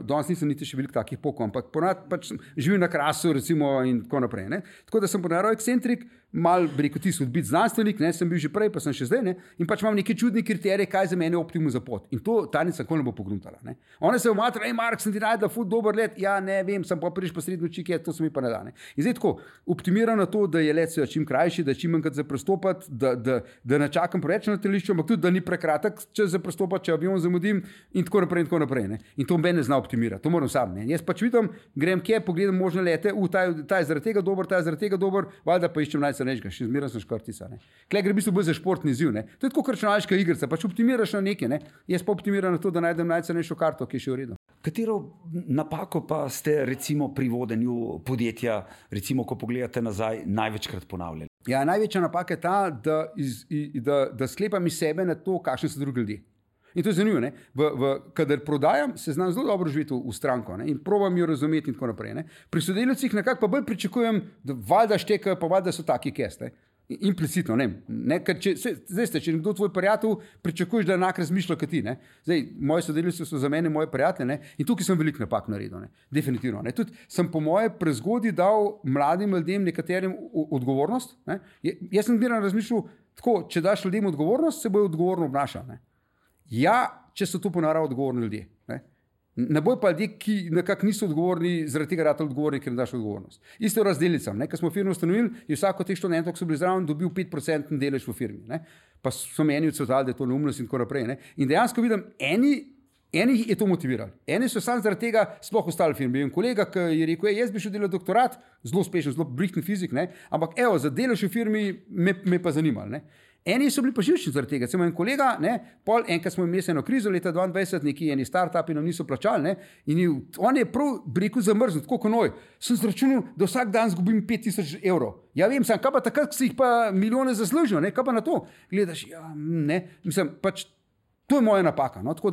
danes nisem niti še veliko takih pokov, ampak ponad pač živim na Krasu, recimo, in tako naprej. Tako da sem ponavljal ekscentrik, mal rekel, ti si biti znanstvenik, sem bil že prej, pa sem še zdaj, in pač imam neke čudne kriterije, kaj za mene je optimum za pot. In to Tanica nikoli ne bo pogruntala. Ona se umatra, Mark, sem ti najdel fut dober let, ja, ne vem, sem pa prišel pa srednjo čike, to se mi pa ne da. In zdaj tako, optimiram na to, da je let čim krajši, da čim manjkrat za prestopati, da ne čakam preveč na letališču, ampak tudi, da ni prekratek čas za prestopati, če avion zamudim in tako naprej in tako naprej. In to meni ne zna optimirati, to moram sam. Jaz pač vidim, grem kje, pogledam možne lete, ta je zaradi tega dober, valjda pa iščem najcenejšega, še zmeraj sem škrtica. Klej gre v bistvu bolj za športni izziv. To je tako računalniška igrica, pač optimiraš na nekaj. Jaz pa optimiram na to, da najdem najcenejšo karto, ki je še v redu. Katero napako pa ste recimo pri vodenju podjetja, recimo ko pogledate nazaj, največkrat ponavljali? Ja, največja napaka je ta, da sklepam iz sebe na to, kakšni so drugi ljudje. In to je zanimivo. Kadar prodajam, se znam zelo dobro živeti v stranko in probam jo razumeti in tako naprej. Pri sodelavcih nekako pa bolj pričakujem, da valjda štekajo, pa valjda so taki keste. Implicitno, zdaj ste, če nekdo tvoj prijatelj, pričakuješ, da enak razmišlja kot ti. Zdaj, moji sodelavci so za mene moje prijatelje in tukaj sem veliko napak naredil, definitivno. Tudi sem po moje prezgodaj dal mladim ljudem nekaterim odgovornost. Jaz sem zmeraj razmišljal tako, če daš ljudem odgovornost, se bojo odgovorno obnašali. Ja, če so to po naravi odgovorni ljudje. Ne boj pa ljudje, ki nekako niso odgovorni, zaradi tega rata odgovorni, ker jim daš odgovornost. Isto je razdelicam. Ko smo firmo ustanovili, je vsako teh študentov, ki so bili zraven, dobil 5% delež v firmi. Pa so meni odsvetali, da je to neumnost in tako naprej. In dejansko vidim, eni je to motivirali. Eni so samo zaradi tega sploh ostali firmi. In kolega, ki je rekel, jaz bi šel delati doktorat, zelo uspešen, zelo brihten fizik, ampak evo, za delež v firmi me pa zanimali. Eni so bili pa živčni zaradi tega. Recimo en kolega, enkrat smo imeli eno krizo leta 2022, neki eni startupi nam niso plačali, in on je prav rekel zamrznut, tako kot noj. Sem zračunal, da vsak dan zgubim 5,000 €. Ja vem, kaj pa takrat, ko si jih pa milijone zaslužil, kaj pa na to? Gledaš, mislim, pač to je moja napaka. Tako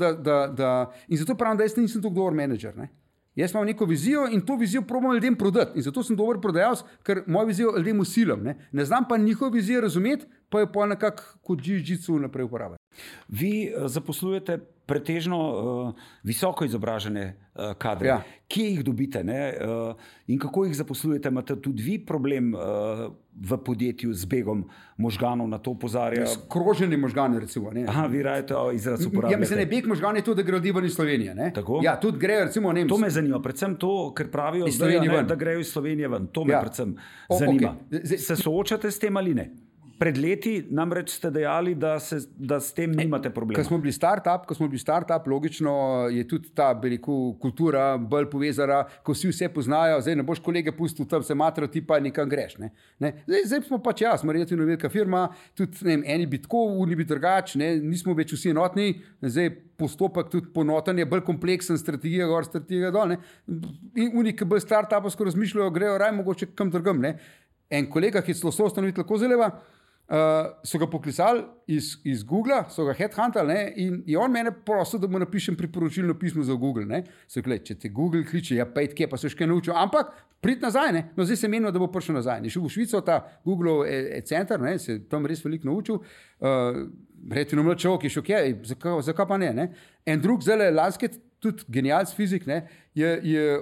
in zato pravim, da jaz nisem tako dober menedžer. Jaz imam neko vizijo in to vizijo probam ljudem prodati. In zato sem dober prodajalec, ker mojo vizijo ljudem usilam. Ne znam pa njihove vizije razumeti, pa je pa nekako kot jiu-jitsu naprej uporabljati. Vi zaposlujete pretežno visoko izobražene kadre. Ja. Kje jih dobite? In kako jih zaposlujete? Imate tudi vi problem v podjetju z begom možganov, na to opozarjajo? Skroženi možgani, recimo. Aha, vi rajete izraz uporabljate. Ja, mislim, beg možgan je to, da grejo ven iz Slovenije. Tako? Ja, tudi grejo, recimo, To me zanima, predvsem to, ker pravijo, da grejo iz Slovenije ven. To me predvsem zanima. Okay. Se soočate s tem ali ne? Pred leti namreč ste dejali, da s tem nimate problema. Ko smo bili startup, logično je tudi ta kultura bolj povezana, ko vse poznajo, zdaj ne boš kolege pustil tam se matra, ti pa nekam greš. Ne? Zdaj smo pač smo relativno velika firma, tudi eni bi tako, uni bi drugač, nismo več vsi enotni, zdaj postopek tudi ponotanje, bolj kompleksen, strategija gor, strategija dol. Ne? In uni, ki bolj startupovsko razmišljajo, grejo raj mogoče kam drugam. En kolega, ki je celo soustanovitelj Kozeleva, so ga poklicali iz Google, so ga headhuntali in je on mene prosil, da mu napišem priporočilno pismo za Google. So rekli, če te Google kliče, pejt kje, pa se še kaj naučil, ampak prid nazaj. No, zdaj se menilo, da bo prišel nazaj. Je šel v Švico, ta Google center, se tam res veliko naučil. Relativno mlad človek je šel, zakaj pa ne? En drug, zdaj lanske, tudi genialc fizik,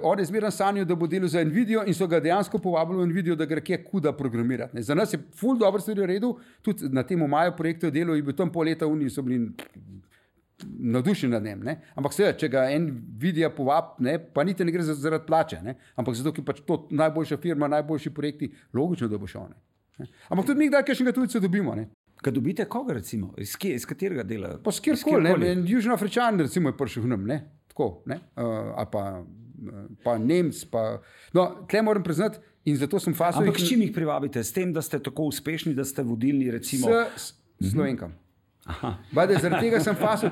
on je zmeraj sanjal, da bo delal za Nvidio in so ga dejansko povabili v Nvidio, da gre kje kuda programirati. Za nas je ful dobro stvari v redu, tudi na tem Maju projektu je delal in bil tam pol leta Uniji, so bili navdušeni nad njim. Ampak seveda, če ga Nvidia povabi, pa niti ne gre zaradi plače, ampak zato, ker pač to najboljša firma, najboljši projekti, logično, da bo šel. Ampak tudi mi kdaj kakšnega tujca dobimo. Kad dobite koga, recimo? Iz katerega dela? Pa s kjerkoli. Južni Afričan, recimo, je prišel k nam, ali pa Nemc. No, tle moram priznati, in zato sem fasil. Ampak s čim jih privabite? S tem, da ste tako uspešni, da ste vodilni, recimo? S Slovenkam. Zaradi tega sem fasil.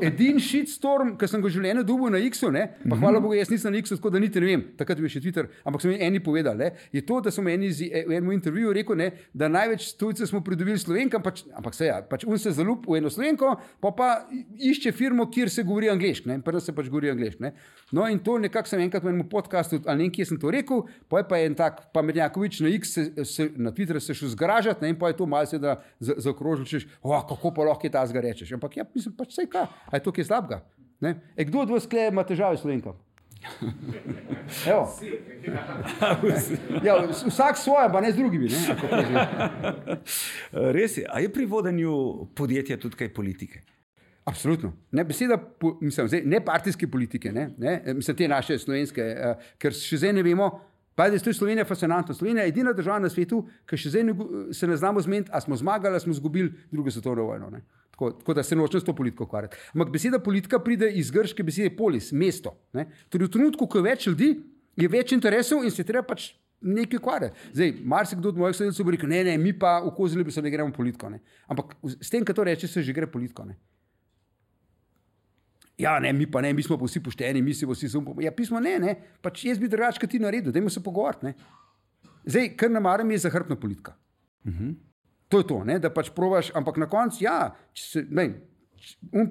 Edini shitstorm, ki sem ga v življenju dobil na X-u, pa hvala Bogu, jaz nisem na X-u, tako da niti ne vem, takrat je bil še Twitter, ampak so mi eni povedali, je to, da so mi eni v enem intervjuju rekel, da največ tujcev smo pridobili Slovenkam, ampak pač on se zalup v eno Slovenko, pa išče firmo, kjer se govori angleško, prvo se pač govori angleško. No in to nekako sem enkrat v enem podcastu, ali nekje sem to rekel, pa je pa en tak Mednjakovič na X, na Twitterju se šel zgražati, in pa je to malce da zaokrožil, češ, kako pa lahko je ta zga rečeš. Ampak mislim, pač sej kaj, a je to kaj slabega? Kdo od vas tukaj ima težave s Slovenkom? Vsak svoje, pa ne z drugimi. Res je, a je pri vodenju podjetja tudi kaj politike? Absolutno. Ne partijske politike, mislim te naše slovenske, ker še zdaj ne vemo. To je Slovenija fascinantna. Slovenija je edina država na svetu, ki še zdaj se ne znamo zmeniti, ali smo zmagali, ali smo izgubili drugo svetovno vojno. Tako da se nočem s to politiko ukvarjati. Ampak beseda politika pride iz grške besede polis, mesto. Torej v trenutku, ko je več ljudi, je več interesov in se treba pač nekaj ukvarjati. Zdaj, marsikdo od mojih sodelavcev bo rekel, ne, mi pa v Kozelebi se ne gremo politiko. Ampak s tem, kar to reče, se že gre politiko. Mi pa ne, mi smo pa vsi pošteni, mi si pa vsi zaupamo. Pismo ne, pač jaz bi drugače kot ti naredil, dajmo se pogovoriti. Zdaj, kar namaram je zahrbtna politika. To je to, da pač probaš, ampak na koncu,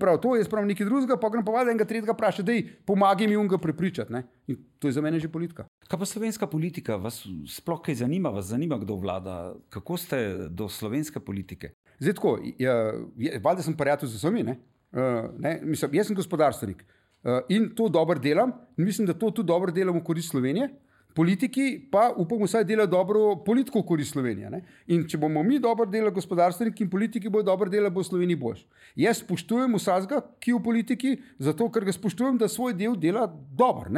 prav to, jaz prav nekaj drugega, pa grem pa enega tretjega vprašati, daj, pomagaj mi unga prepričati. In to je za mene že politika. Kaj pa slovenska politika? Vas sploh kaj zanima? Vas zanima, kdo vlada? Kako ste do slovenske politike? Zdaj tako, valjda sem prijatelj z vsemi, Mislim, jaz sem gospodarstvenik in to dobro delam. Mislim, da to tudi dobro delam v korist Slovenije. Politiki pa upam vsaj delajo dobro politiko v korist Slovenije. In če bomo mi dobro delali gospodarstveniki in politiki bojo dobro delali, bo v Sloveniji boljše. Jaz spoštujem vsakega, ki je v politiki, zato ker ga spoštujem, da svoj del dela dobro.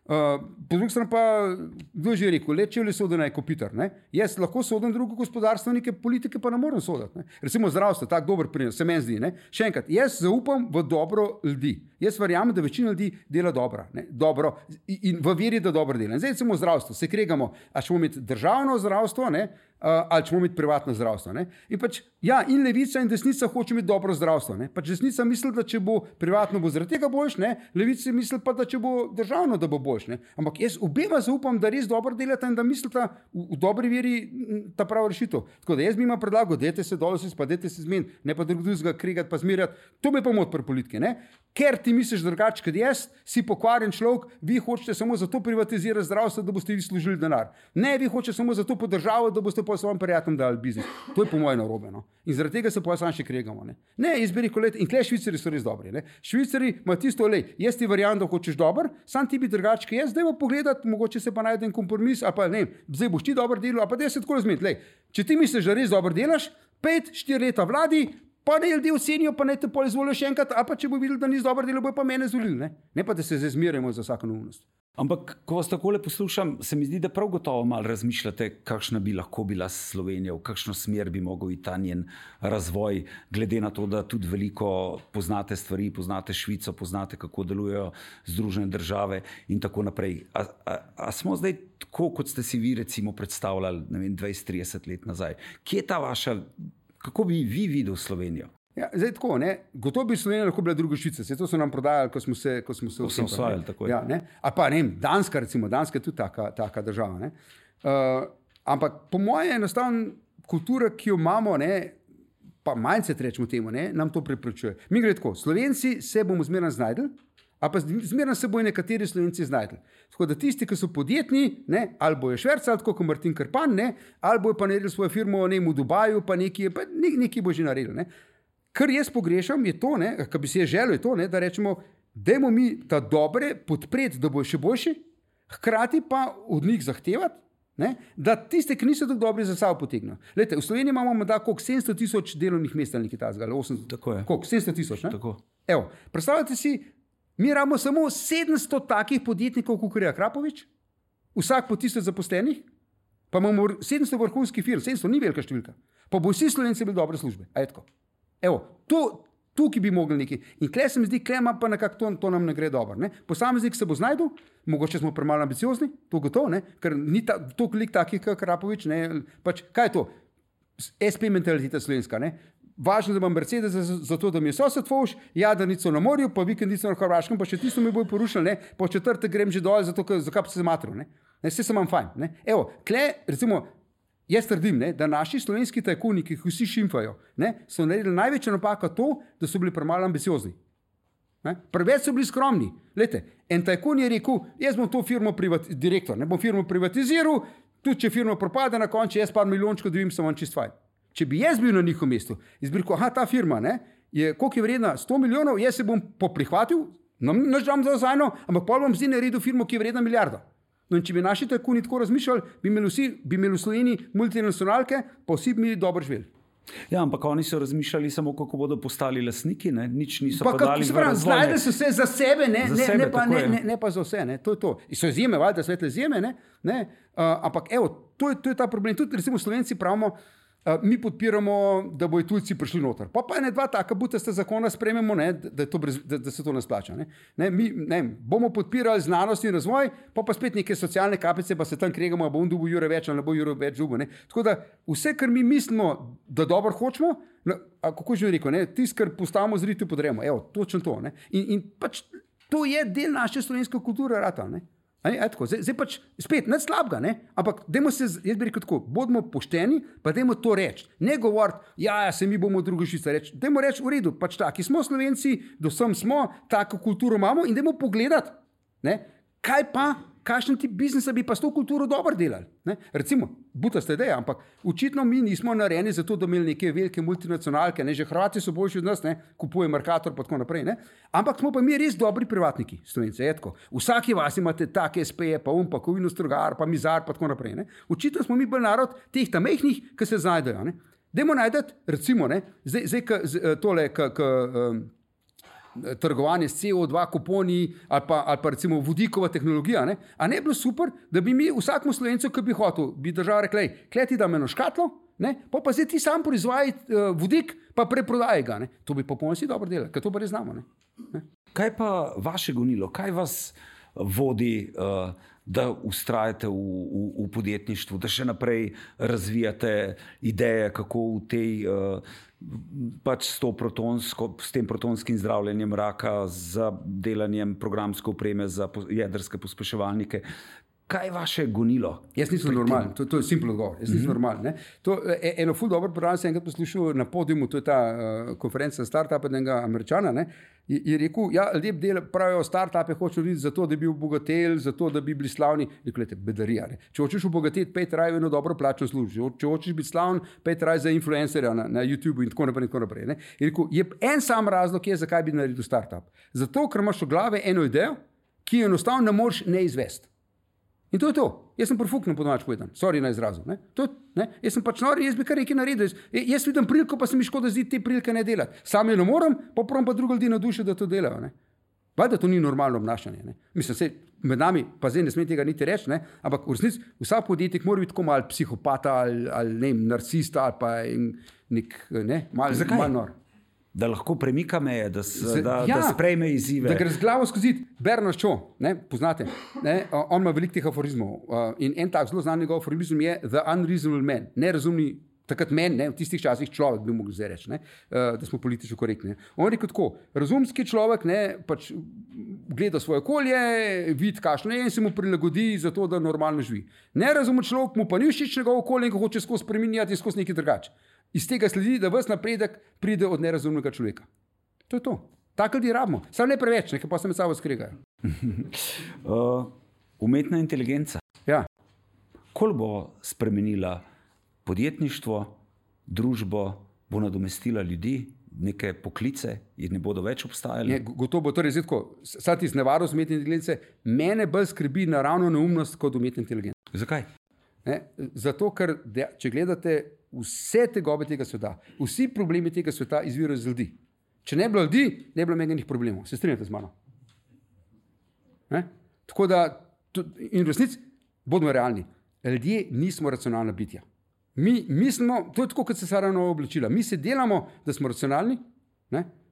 Po drugi strani pa, kdo je že rekel, leče ali soden je kopitar. Jaz lahko sodim druge gospodarstvenike, politike pa ne morem soditi. Recimo zdravstvo, tak dober primer, se meni zdi. Še enkrat, jaz zaupam v dobro ljudi. Jaz verjamem, da večina ljudi dela dobro in v veri, da dobro dela. Zdaj recimo zdravstvo, se kregamo, a ćemo imeti državno zdravstvo, ali ćemo imeti privatno zdravstvo. In pač, in levica in desnica hoče imeti dobro zdravstvo. Pač desnica misli, da če bo privatno, bo zaradi tega boljš, levica misli pa, da če bo državno, da bo boljš. Ampak jaz obema zaupam, da res dobro delata in da mislita v dobri veri ta prava rešitev. Tako da jaz bi ima predlagal, dajte se dol, pa dajte se zmeniti, ne pa drugega kregati, pa zmerjati. To bi pa mod pri politiki. Ker ti misliš drugače kot jaz, si pokvarjen človek, vi hočete samo zato privatizirati zdravstvo, da boste vi služili denar. Ne, vi hočete samo zato podržavati, da boste po svojim prijateljem dali biznis. To je po mojem narobe. In zaradi tega se pa sam še kregamo. Jaz bi rekel, in tle Švicari so res dobri. Švicari ima tisto, jaz ti verjamem, da hočeš dober, sam ti bi drugače kot jaz, zdaj bo pogledati, mogoče se pa najde en kompromis, ali pa ne, zdaj boš ti dobro delal, ali pa da se tako razumeti. Če ti misliš, da res dobro delaš, 5-4 leta vladi, Pa ne ljudje ocenijo, pa ne te pol izvolijo še enkrat, a pa če bo videl, da nisi dobro delal, bo pa mene zvolili. Ne pa, da se zdaj zmerjamo za vsako neumnost. Ampak, ko vas takole poslušam, se mi zdi, da prav gotovo malo razmišljate, kakšna bi lahko bila Slovenija, v kakšno smer bi mogel iti ta njen razvoj, glede na to, da tudi veliko poznate stvari, poznate Švico, poznate, kako delujejo Združene države in tako naprej. A smo zdaj tako, kot ste si vi recimo predstavljali, ne vem, 20-30 let nazaj? Kje je ta vaša, kako bi vi videl Slovenijo? Ja, zdaj tako, gotovo bi Slovenija lahko bila druga Švica, se to so nam prodajali, ko smo se osvajali. Ja, a pa ne vem, Danska recimo, Danska je tudi taka država. Ampak po moje enostavno kultura, ki jo imamo, pa mindset rečemo temu, nam to preprečuje. Mi gre tako, Slovenci se bomo zmeraj znajdli, a pa zmeraj se bojo nekateri Slovenci znajdli. Tako da tisti, ki so podjetni, ali bojo švercali, tako kot Martin Krpan, ali bojo pa naredili svojo firmo v Dubaju, pa nekaj bo že naredili. Kar jaz pogrešam je to, kar bi si je želel, je to, da rečemo, dajmo mi ta dobre podpreti, da bojo še boljši, hkrati pa od njih zahtevati, da tiste, ki niso tako dobri, za sabo potegnejo. Glejte, v Sloveniji imamo morda koliko 700,000 delovnih mest ali nekaj takega, 800. Tako je. Koliko? 700,000, Tako. Evo, predstavljate si, mi imamo samo 700 takih podjetnikov, kot je Akrapovič, vsak po 1000 zaposlenih, pa imamo 700 vrhunskih firm, 700 ni velika številka, pa bo vsi Slovenci imeli dobre službe. A je tako? Evo, tukaj bi mogli nekaj. In klej se mi zdi, klej ima pa nekako to nam ne gre dobro. Posameznik se bo znajdel, mogoče smo premalo ambiciozni, to gotovo, ker ni toliko lik takih, kot Krapovič. Pač, kaj je to? SP mentaliteta slovenska. Važno, da imam Mercedes zato, da mi je sosed fovš, jadrnico na morju, pa vikendico na Hrvaškem, pa še tisto mi bojo porušili, po četrtek grem že dol, zato, zakaj pa se zamatru. Vse se imam fajn. Evo, klej, recimo, jaz trdim, da naši slovenski tajkuni, ki jih vsi šimfajo, so naredili največjo napako to, da so bili premalo ambiciozni. Preveč so bili skromni. Lete, en tajkun je rekel, jaz bom to firmo direktor, bom firmo privatiziral, tudi če firma propade na koncu, jaz par milijončkov dobim, sem vam čist fajn. Če bi jaz bil na njihovem mestu, jaz bi rekel, ta firma, koliko je vredna 100 milijonov, jaz se bom poprihvatil, naš dam za zajno, ampak pol bom zdaj naredil firmo, ki je vredna milijardo. No, in če bi naši tajkuni tako razmišljali, bi imeli v Sloveniji multinacionalke, pa vsi bi imeli dobro živeli. Ja, ampak oni so razmišljali samo, kako bodo postali lastniki, nič niso pa dali v razvoj. Znajdli so se za sebe, ne pa za vse. To je to. So izjeme, valjda svetle izjeme, ampak evo, to je ta problem. Tudi recimo Slovenci pravimo, mi podpiramo, da bojo tujci prišli noter. Pa ene dva taka butasta zakona sprejmemo, da se to ne splača. Mi bomo podpirali znanost in razvoj, pa spet neke socialne kapice, pa se tam kregamo, bo on dobil jure več ali ne bo jure več dobil. Tako da vse, kar mi mislimo, da dobro hočemo, kako že rekel, tisto, kar postavimo zriti podremo. Evo, točno to. In pač to je del naše slovenske kulture rata. Zdaj pač spet ne slabega, ampak dajmo se, jaz bi rekel tako, bodimo pošteni, pa dajmo to reči. Ne govoriti, se mi bomo druga Švica reči. Dajmo reči, v redu, pač taki smo Slovenci, dosem smo, tako kulturo imamo in dajmo pogledati, kaj pa, kakšen ti biznisa bi pa s to kulturo dobro delali. Recimo, butasta ideja, ampak očitno mi nismo narejeni za to, da imeli neke velike multinacionalke, že Hrvati so boljši od nas, kupuje Mercator pa tako naprej, ampak smo pa mi res dobri privatniki, Slovenci, v vsaki vasi imate take SP-je, pa pa Kovino Strogar, pa Mizar, pa tako naprej. Očitno smo mi bolj narod teh tam mehnih, ki se znajdejo. Dajmo najdeti, recimo, zdaj tole, trgovanje s CO2 kuponi ali pa recimo vodikova tehnologija, a ne bi bilo super, da bi mi vsakmu Slovencu, ki bi hotel, bi država rekla, kleti da me eno škatlo, pa zdaj ti sam proizvajaš vodik, pa preprodaj ga. To bi pa si dobro delali, ker to pa res znamo. Kaj pa vaše gonilo, kaj vas vodi, da vztrajate v podjetništvu, da še naprej razvijate ideje, kako v tej pač s tem protonskim zdravljenjem raka, za delanjem programske opreme za jedrske pospeševalnike. Kaj je vaše gonilo? Jaz nisem normalen, to je simpel odgovor. Jaz nisem normalen. Eno ful dobro program sem enkrat poslušal na podiumu, to je ta konferenca startupa enega Američana, je rekel, ljudje pravijo, startupe hočejo narediti zato, da bi obogateli, zato, da bi bili slavni. Rekel, bedarija. Če hočeš obogateti, pet raj v eno dobro plačno službo. Če hočeš biti slavn, pet raj za influencerja na YouTube in tako naprej. Je rekel, je en sam razlog, zakaj bi naredil startup. Zato, ker imaš v glavi eno idejo, ki jo enostavno ne moreš ne izvesti. In to je to. Jaz sem profuknil, po domač povedan. Sorry na izrazu. Ne? Jaz sem pač nori, jaz bi kar nekaj naredil. Jaz vidim priliko, pa se mi škoda zdi te prilike ne delati. Sam je ne morem, pa drugi ljudi navdušiti, da to delajo. Ne? Valjda to ni normalno obnašanje. Ne? Mislim, se med nami, pa zdaj ne sme tega niti reči, ne? Ampak v resnici vsak podjetnik mora biti tako malo psihopata ali ne, narcista ali pa nek mal nor. Da lahko premika meje, da sprejme izzive. Da gre z glavo skozi zid. Bernard Shaw, poznate, on ima veliko teh aforizmov. In en tak zelo znan njegov aforizm je The Unreasonable Man, nerazumni, takrat v tistih časih človek, bi mogel zdaj reči, da smo politično korektni. On rekel tako, razumski človek pač gleda svoje okolje, vidi kakšno je in se mu prilagodi za to, da normalno živi. Nerazumen človek mu pa ni všeč njegovo okolje in ga hoče skozi spreminjati in skozi nekaj drugače. Iz tega sledi, da ves napredek pride od nerazumnega človeka. To je to. Tako ljudi rabimo. Samo ne preveč, nekaj pa se med sabo skregajo. Umetna inteligenca. Ja. Koliko bo spremenila podjetništvo, družbo, bo nadomestila ljudi, neke poklice, jih ne bodo več obstajali? Gotovo bo torej zdaj tako. Sad iz nevarnost umetne inteligence mene bolj skrbi naravno neumnost kot umetna inteligenca. Zakaj? Zato, ker če gledate vse tegobe tega sveta, vsi problemi tega sveta izvirajo iz ljudi. Če ne bi bilo ljudi, ne bi bilo menih problemov. Se strinjate z mano? Tako da, in v resnici, bodimo realni, ljudje nismo racionalna bitja. Mi smo, to je tako, kot se Sara Nova oblačila. Mi se delamo, da smo racionalni,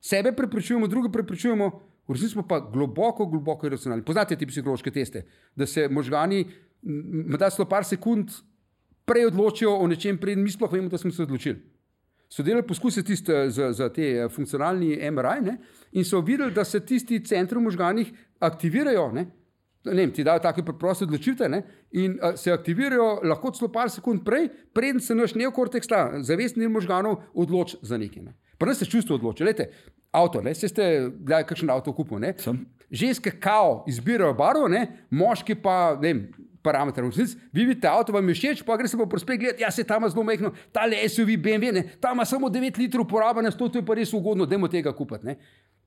sebe prepričujemo, druge prepričujemo, v resnici smo pa globoko iracionalni. Poznate te psihološke teste, da se možgani morda celo par sekund prej odločijo o nečem, prej mi sploh vemo, da smo se odločili. So delali poskuse za te funkcionalni MRI in so videli, da se tisti centri v možganih aktivirajo, ti dajo take preproste odločitve in se aktivirajo lahko celo par sekund prej, preden se naš neokorteks, zavestni del možganov, odloči za nekaj. Pa ne se čustvo odloči. Lejte, avto, se ste kdaj kakšen avto kupil, ženske kao izbirajo barvo, moški pa, parameter. Vi vidite avto, vam je všeč, pa gre se pa prospekt gledati, se tam zelo mehno, tale SUV BMW, tam ima samo 9 litrov porabe na 100, to je pa res ugodno, dajmo tega kupiti.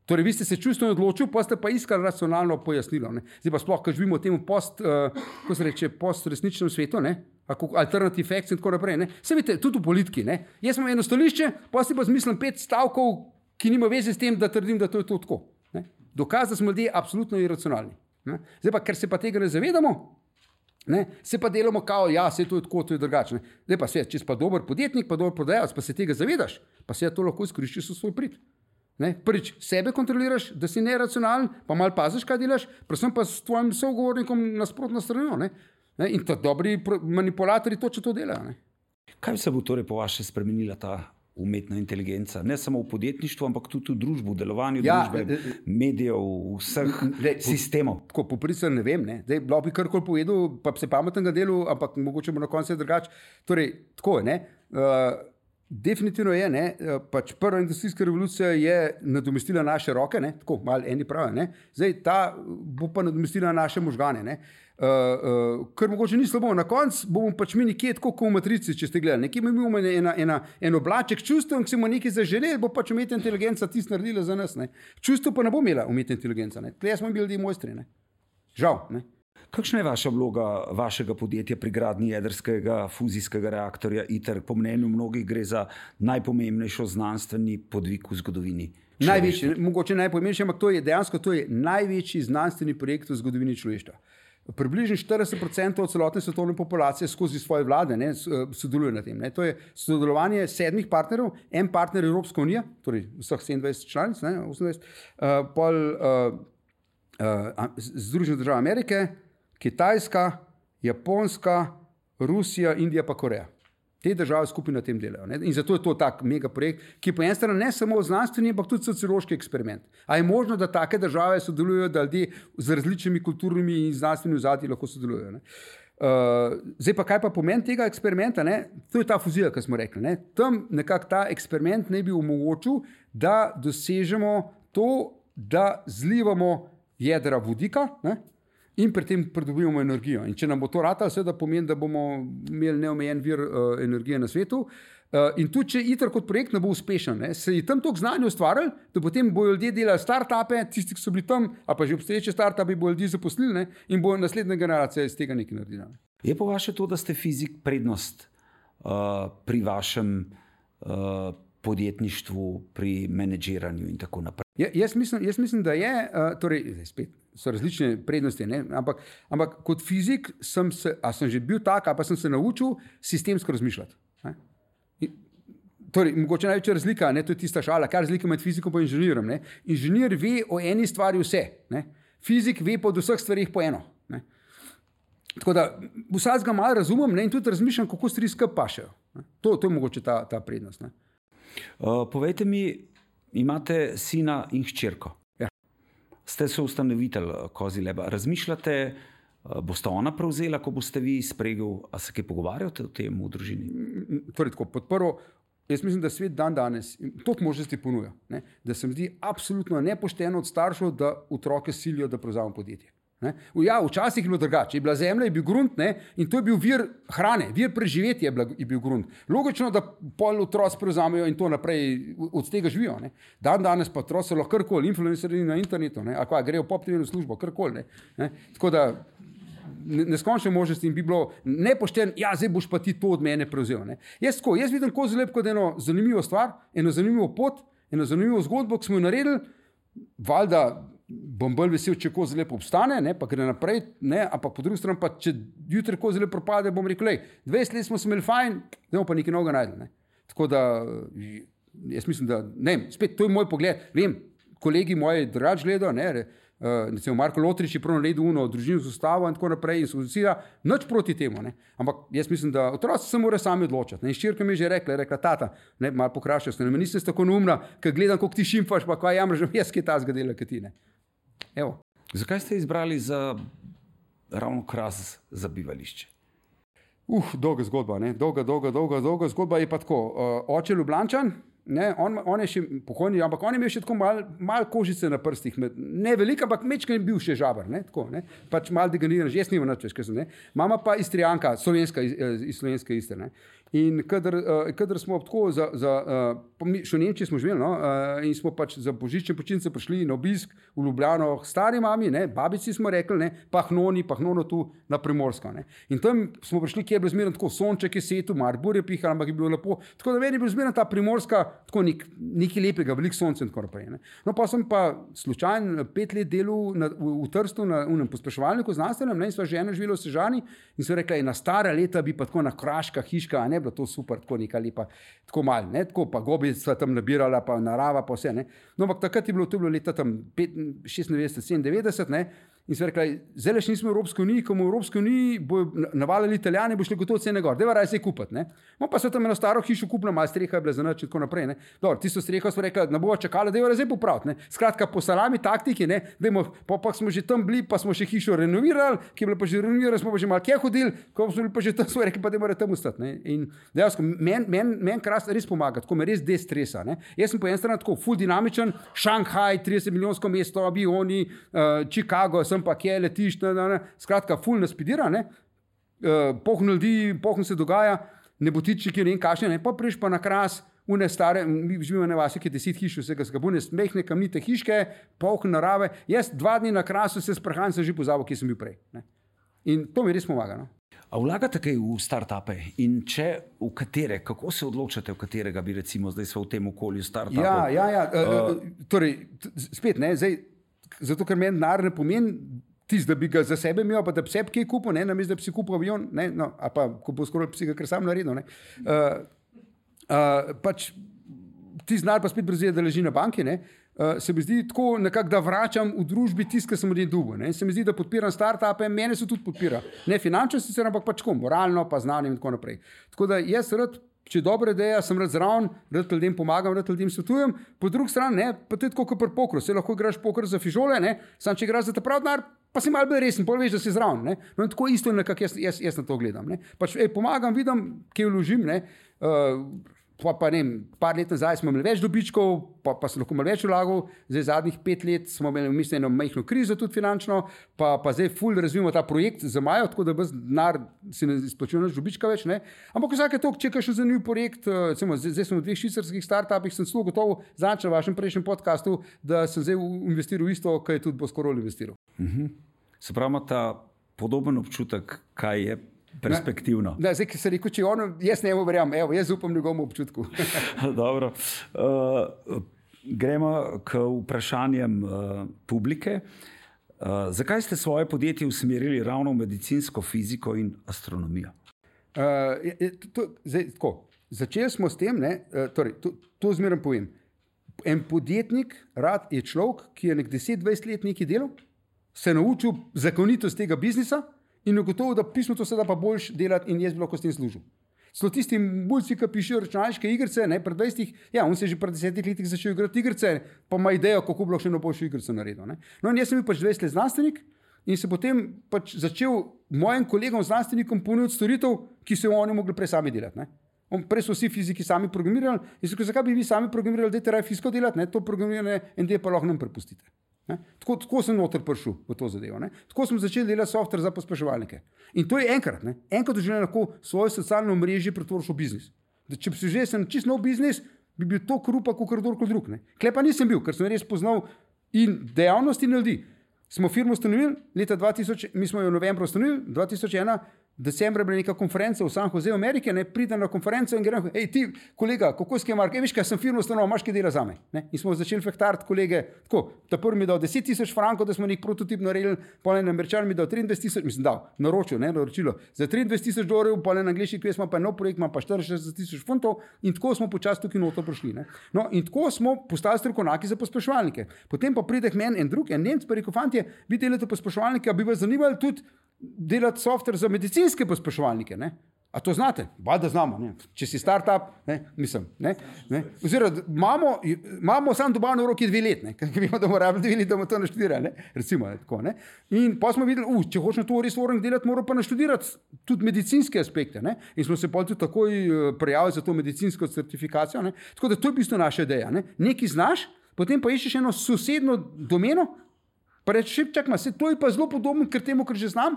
Torej, vi ste se čustveno odločili, pa ste pa iskali racionalno pojasnilo. Zdaj pa sploh, ko živimo v tem postresničnem svetu, alternative facts in tako naprej. Se vidite, tudi v politiki. Jaz imam eno stališče, pa si pa zmislim 5 stavkov, ki nima veze s tem, da trdim, da to je to tako. Dokaz, da smo ljudje absolutno iracionalni. Zdaj pa, ker se pa tega ne zavedamo, se pa delamo kao, se to je tako, to je drugače. Zdaj pa če si pa dober podjetnik, pa dober prodajalec, pa se tega zavedaš, pa se to lahko izkoriščiš v svoj prid. Prvič, sebe kontroliraš, da si neracionalen, pa malo paziš, kaj delaš, predvsem pa s tvojim sogovornikom nasprotno stranjo. In ta dobri manipulatorji točno to delajo. Kaj se bo torej po vaše spremenila ta umetna inteligenca? Ne samo v podjetništvu, ampak tudi v družbi, v delovanju družbe, medijev, vseh sistemov. Tako, popricam ne vem, Zdaj, bi karkoli povedal, pa se pametnega delu, ampak mogoče bo na koncu drugače. Torej, tako je, definitivno je, pač prva industrijska revolucija je nadomestila naše roke, tako malo eni pravijo, zdaj ta bo pa nadomestila naše možgane, kar mogoče ni slabo. Na koncu bomo pač mi nekje tako kot v Matrici, če ste gledali, nekje imamo en oblaček čustev, ki se mu nekaj zaželeli, bo pač umetna inteligenca tisto naredila za nas. Čustev pa ne bo imela umetna inteligenca. Tukaj smo bili ljudje mojstri. Žal. Kakšna je vaša vloga vašega podjetja pri gradnji jedrskega fuzijskega reaktorja ITER? Po mnenju mnogih gre za najpomembnejšo znanstveni podvig v zgodovini. Največji, mogoče najpomembnejši, ampak to je največji znanstveni projekt v zgodovini človeštva. Približno 40% od celotne svetovne populacije skozi svoje vlade sodeluje na tem. To je sodelovanje 7 partnerjev, en partner Evropska unija, torej vseh 27 članic, 28, pol Združene države Amerike, Kitajska, Japonska, Rusija, Indija pa Koreja. Te države skupaj na tem delajo. In zato je to tak mega projekt, ki po eni strani ne samo znanstveni, ampak tudi sociološki eksperiment. A je možno, da take države sodelujo, da ljudje z različnimi kulturnimi in znanstvenimi ozadji lahko sodelujo. Zdaj pa kaj pa pomen tega eksperimenta? To je ta fuzija, ki smo rekli. Tam nekako ta eksperiment ne bi omogočil, da dosežemo to, da zlivamo jedra vodika, in pri tem pridobivamo energijo. In če nam bo to ratalo, seveda pomeni, da bomo imeli neomejen vir energije na svetu. In tudi, če ITER kot projekt ne bo uspešen, ne, se je tam toliko znanja ustvarili, da potem bojo ljudje delali start-upe, tisti, ki so bili tam, a pa že obstoječe start-upe, bojo ljudi zaposlili, ne, in bo naslednja generacija iz tega nekaj naredila. Je po vaše to, da ste fizik prednost pri vašem podjetništvu, pri menedžiranju in tako naprej? Jaz mislim, da je, torej, spet so različne prednosti, ne, ampak kot fizik sem že bil tak, ali pa sem se naučil sistemsko razmišljati. Ne. Torej, mogoče največja razlika, ne, to je tista šala, kaj je razlika med fizikom in inženirom. Ne. Inženir ve o eni stvari vse, ne. Fizik ve pa od vseh stvarih po eno. Ne. Tako da vsakega malo razumem, ne, in tudi razmišljam, kako stvari skupaj pašejo. To je mogoče ta prednost. Ne. Povejte mi, imate sina in hčerko. Ja. Ste soustanovitelj Kozilaba. Razmišljate, boste ona prevzela, ko boste vi spregel, a se kaj pogovarjate o tem v družini? Torej, tako, pod prvo, jaz mislim, da svet danes toliko možnosti ponuja, ne, da se mi zdi absolutno nepošteno od staršev, da otroke silijo, da prevzamem podjetje. Ne. Ja, včasih je bilo drugače, je bila zemlja, je bil grunt, ne, in to je bil vir hrane, vir preživetja je bil grunt. Logično, da pol otroci prevzamejo in to naprej od tega živijo. Ne. Danes pa otroci so lahko karkoli, influencerji na internetu, ne, ali grejo pop TV službo, karkoli. Ne. Tako da neskončne možnosti in bi bilo nepošteno, ja, zdaj boš pa ti to od mene prevzel. Ne. Jaz vidim Kozilab kot eno zanimivo stvar, eno zanimivo pot, eno zanimivo zgodbo, ki smo jo naredili, valjda bom bolj vesel, če Kozilab obstane, ne, pa gre naprej, ne, ampak po drugi strani pa, če jutri Kozilab propade, bom rekel, 20 let smo se imeli fajn, da bomo pa nekaj novega najdel. Ne. Tako da, jaz mislim, da, ne vem, spet to je moj pogled, vem, kolegi moji drugače gledajo, ne, recimo Marko Lotrič je prav naredil družinsko ustavo in tako naprej in so vsi nič proti temu, ne. Ampak jaz mislim, da otroci se morajo sami odločiti. Ne. In hčerka mi je že rekla, tata, ne, malo pokraščal, ne, nisem tako neumna, ker gledam, koliko ti šimfaš, pa kaj jamraš, jaz kaj tazga dela, kot ti, ne. Evo. Zakaj ste izbrali ravno Kras za bivališče? Dolga zgodba, ne? Dolga zgodba je pa tako. Oče Ljubljančan, ne? On je še pokojni, ampak on je imel še tako malo kožice na prstih. Ne velika, ampak mečken je bil še žabar. Ne? Tako, ne? Pač malo deganiran, jaz nimam nič več. Mama pa Istrijanka, iz slovenske Istre. Ne? In kadar smo tako še v Nemčiji smo živeli, no, in smo pač za božične počitnice prišli na obisk v Ljubljano k stari mami, ne, babici smo rekli, ne, Pahnono tu na Primorsko. Ne. In tam smo prišli, kjer je bilo zmerno tako sonček je setu, mar burje pihal, ampak je bilo lepo. Tako da meni je bilo zmerno ta Primorska tako nekaj lepega, veliko sonce in tako naprej. Ne. No, pa sem pa slučajno 5 let delal v Trstu na pospeševalniku znanstvenem, ne, in sva žena živela v Sežani in so rekla, na stara leta bi pa tako na kraška hiška, ne, bilo to super, tako neka lepa, tako malo, ne, tako pa gobi sva tam nabirala, pa narava, pa vse, ne. No, ampak takrat je bilo leta tam 96, 97, ne, in so rekla, zdaj še nismo v Evropski uniji, ko v Evropski uniji bojo navalili Italijani, bo šli gotovo cene gor, deva raje se kupiti, ne. No, pa so tam eno staro hišo kupila, malo streha je bila za nič in tako naprej, ne. Dobro, tisto streho smo rekla, ne bo čakala, deva raje popraviti, ne. Skratka, po salami taktiki, ne, dajmo, pa smo že tam bili, pa smo še hišo renovirali, ki je bila pa že renovirana, smo pa že malo kje hodili, ko smo bili pa že tam, smo rekli, pa dajmo tam ostati, ne. In dejansko meni Kras res pomaga, tako me res destresa, ne. Jaz sem po eni strani tako full dinamičen, Šanghaj, 30 milijonsko mesto, avioni, Chicago, pa kje letiš, skratka, full nas spidira, pohn ljudi, pohn se dogaja, nebotičniki, ne vem kašne, ne, pa priš pa na Kras, une stare, mi živimo na vasi, ki je 10 hiš, vsega skabune, smehne kamnite hiške, pohn narave, jaz 2 dni na Krasu se sprehajam, sem že pozabil, kje sem bil prej. Ne. In to mi res pomaga. No. A vlagate kaj v start-upe in če v katere, kako se odločate, v katerega bi recimo zdaj smo v tem okolju start-upov? Ja, torej, spet ne, zdaj, zato, ker meni denar ne pomeni tisto, da bi ga za sebe imel, pa da bi sebi kaj kupil, ne, namesto da bi si kupil avion, ne, no, a pa ko bo skoraj psi ga kar sam naredil, ne. Pač tisti denar pa spet brzo, da leži na banki, ne, se mi zdi tako nekako, da vračam v družbi tisto, kar sem od njih dobil, ne. Se mi zdi, da podpiram start-upe, mene se tudi podpira. Ne finančno sicer, ampak pač moralno, pa znanjem in tako naprej. Tako da jaz rad, če je dobra ideja, sem rad zraven, rad ljudem pomagam, rad ljudem svetujem, po drugi strani, ne, pa to je tako kot pri pokru, se lahko igraš poker za fižole, ne, sam če igraš za ta prav denar, pa si malo bolj resen, pol veš, da si zraven, ne. No in tako isto nekako jaz na to gledam, ne. Pač pomagam, vidim, kje vložim, ne. Pa ne vem, par let nazaj smo imeli več dobičkov, pa sem lahko malo več vlagal, zdaj zadnjih 5 let smo imeli v mislih eno majhno krizo tudi finančno, pa zdaj ful razvijamo ta projekt za Majo, tako da brez denar si ne izplačuje nič dobička več, ne. Ampak vsake toliko čeka še zanimiv projekt, recimo, zdaj smo v 2 švicarskih startupih, sem zelo gotovo na vašem prejšnjem podcastu, da sem zdaj investiral isto, kaj tudi bo skoro investiral. Se pravi, ta podoben občutek, kaj je perspektivno. Zdaj, ki se reče, če ono, jaz ne verjamem, jaz upam njegovemu občutku. Dobro. Gremo k vprašanjem publike. Zakaj ste svoje podjetje usmerili ravno v medicinsko fiziko in astronomijo? Začeli smo s tem, torej, to zmeraj povem. En podjetnik rad je človek, ki je nek 10-20 let nekaj delal, se naučil zakonitost tega biznisa in ugotovil, da pismo to se da pa boljš delati in jaz bi lahko s tem služil. So tisti mulci, ki pišejo računalniške igrice, pred 20, on se je že pred 10 letih začel igrati igrice, pa ima idejo, kako bi lahko še eno boljšo igrico naredil. No in jaz sem bil pač 20 let znanstvenik in se potem pač začel mojim kolegom znanstvenikom ponuditi storitev, ki so jo oni mogli prej sami delati. Prej so vsi fiziki sami programirali in so rekli, zakaj bi vi sami programirali, dajte raje fiziko delati, to programiranje en del pa lahko nam prepustite. Tako sem noter prišel v to zadevo. Tako smo začeli delati software za pospeševalnike. In to je enkrat. Enkrat v življenju lahko svoje socialno mrežje pretvoriš v biznis. Če bi se že sem čist nov biznis, bi bil to krupa kot kdorkoli drug. Klej pa nisem bil, ker sem res poznal in dejavnosti in ljudi. Smo firmo ustanovili leta 2000, mi smo jo v novembru ustanovili, 2001, decembra je bila neka konferenca v San Jose, Amerike, pridem na konferenco in grem, hej ti, kolega, kako je Mark, veš kaj, sem firmo ustanovil, imaš kaj dela zame. In smo začeli fehtariti kolege, tako, ta prvi mi dal 10,000 frankov, da smo nek prototip naredili, pa en Američan mi dal 23,000, mislim dal, naročilo, za 23,000 dolarjev, pa en angleški kves ima pa nov projekt, ima pa 64,000 funtov in tako smo počasi tukaj noto prišli. No in tako smo postali strokovnjaki za pospeševalnike. Potem pa pride k meni en drug, en Nemec, pa rekel, fantje, vi delate pospeševalnike, a bi vas zanimali tudi delati software za medicinske pospeševalnike. A to znate? Da znamo. Če si startup, mislim. Oziroma, imamo samo dobavno v roki 2 let, ker vemo, da moramo 2 let, da bomo to naštudirali. Recimo, tako. In pa smo videli, če hočemo to res organ delati, moramo pa naštudirati tudi medicinske aspekte. In smo se pa tudi takoj prijavili za to medicinsko certifikacijo. Tako da to je v bistvu naša ideja. Nekaj znaš, potem pa iščeš eno sosedno domeno, pa rečeš, čakaj, to je pa zelo podobno k temu, kar že znam.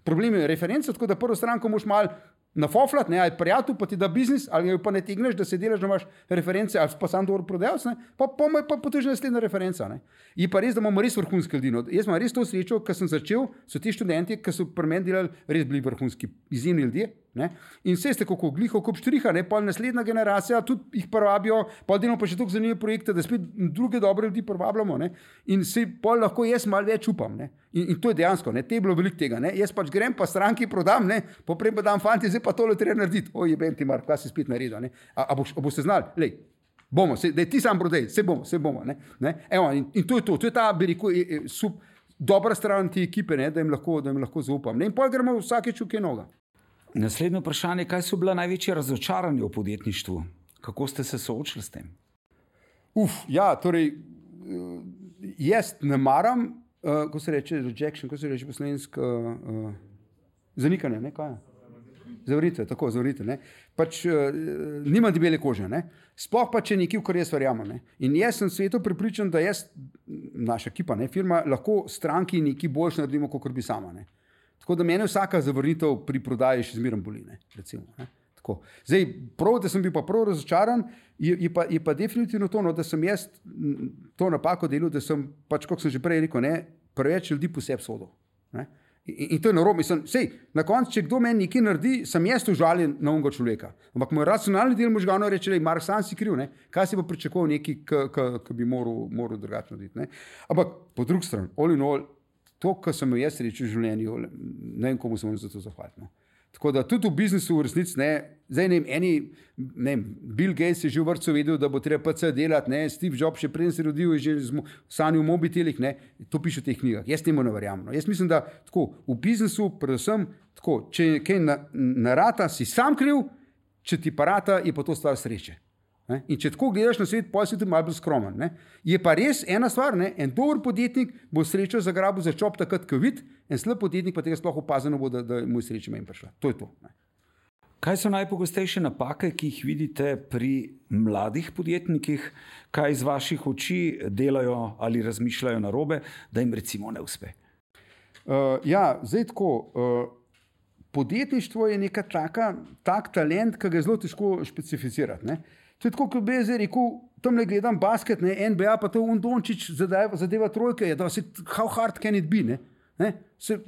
Problem je referenca, tako da prvo stranko moš malo nafofljati, ali prijatelj, pa ti da biznis, ali jo pa ne tegneš, da se delaš, da imaš reference, ali pa sam dobro prodajalec, pa to je že naslednja referenca. Je pa res, da imamo res vrhunske ljudi. Jaz imam res to srečo, ker sem začel, so ti študenti, ki so pri meni delali, res bili vrhunski, izjemni ljudje. In vse ste kako gliho, kot štriha, pa naslednja generacija tudi jih privabijo, pa delamo pa še toliko zanimive projekte, da spet druge dobre ljudi privabljamo. In se pa lahko jaz malo več upam. In to je dejansko, te je bilo veliko tega. Jaz pač grem, pa stranki prodam, poprej pa dam fanti, zdaj pa tole treba narediti. Oj, jeben ti Mark, kaj si spet naredil. A boste znali? Lej, bomo, da ti sam prodaj, se bomo. Evo, in to je to. To je ta, bi rekel, dobra stran te ekipe, da jim lahko zaupam. In potem gremo vsakeč v kaj noga. Naslednje vprašanje, kaj so bila največje razočaranje v podjetništvu? Kako ste se soočili s tem? Torej, jaz ne maram, ko se reče rejection, ko se reče po slovensko, zanikanje, kaj je? Zavrnite. Pač nimam debele kože, sploh pa če nekaj, v kar jaz verjamem. In jaz sem svetu prepričan, da naša ekipa, firma, lahko stranki nekaj boljše naredimo, kot bi sama. Tako da mene vsaka zavrnitev pri prodaji še zmeraj boli. Tako. Zdaj, prav, da sem bil pa prav razočaran, je pa definitivno to, da sem jaz to napako delal, da sem, pač, kot sem že prej rekel, preveč ljudi poseb sodil. In to je narobe. Na koncu, če kdo meni nekaj naredi, sem jaz užaljen na onega človeka. Ampak moj racionalni del možganov reče, Mark, sam si kriv, kaj si pa pričakoval nekaj, ki bi moral drugače narediti. Ampak po drugi strani, all in all, to, kar sem jaz rekel v življenju, ne vem, komu se moram za to zahvaliti. Tako da tudi v biznisu v resnici, zdaj Bill Gates je že v vrtcu vedel, da bo treba PC delati, Steve Jobs še preden se rodil, je že sanjal v mobitelih, to piše v teh knjigah. Jaz temu ne verjamem. Jaz mislim, da tako, v biznisu predvsem tako, če kaj narata, si sam kriv, če ti parata, je pa to stvar sreče. In če tako gledaš na svet, potem si tudi malo bolj skromen. Je pa res ena stvar, en dober podjetnik bo srečo zagrabil za čop takrat, ko vidi, en slab podjetnik pa tega sploh opazeno bo, da mu je sreča manj prišla. To je to. Kaj so najpogostejše napake, ki jih vidite pri mladih podjetnikih, kaj iz vaših oči delajo ali razmišljajo narobe, da jim recimo ne uspe? Zdaj tako, podjetništvo je neka tak talent, ki ga je zelo težko specificirati. Ne? To je tako, kot bi zdaj rekel, tam le gledam basket, ne? NBA pa to Undončić zadeva trojke, da se how hard can it be, ne?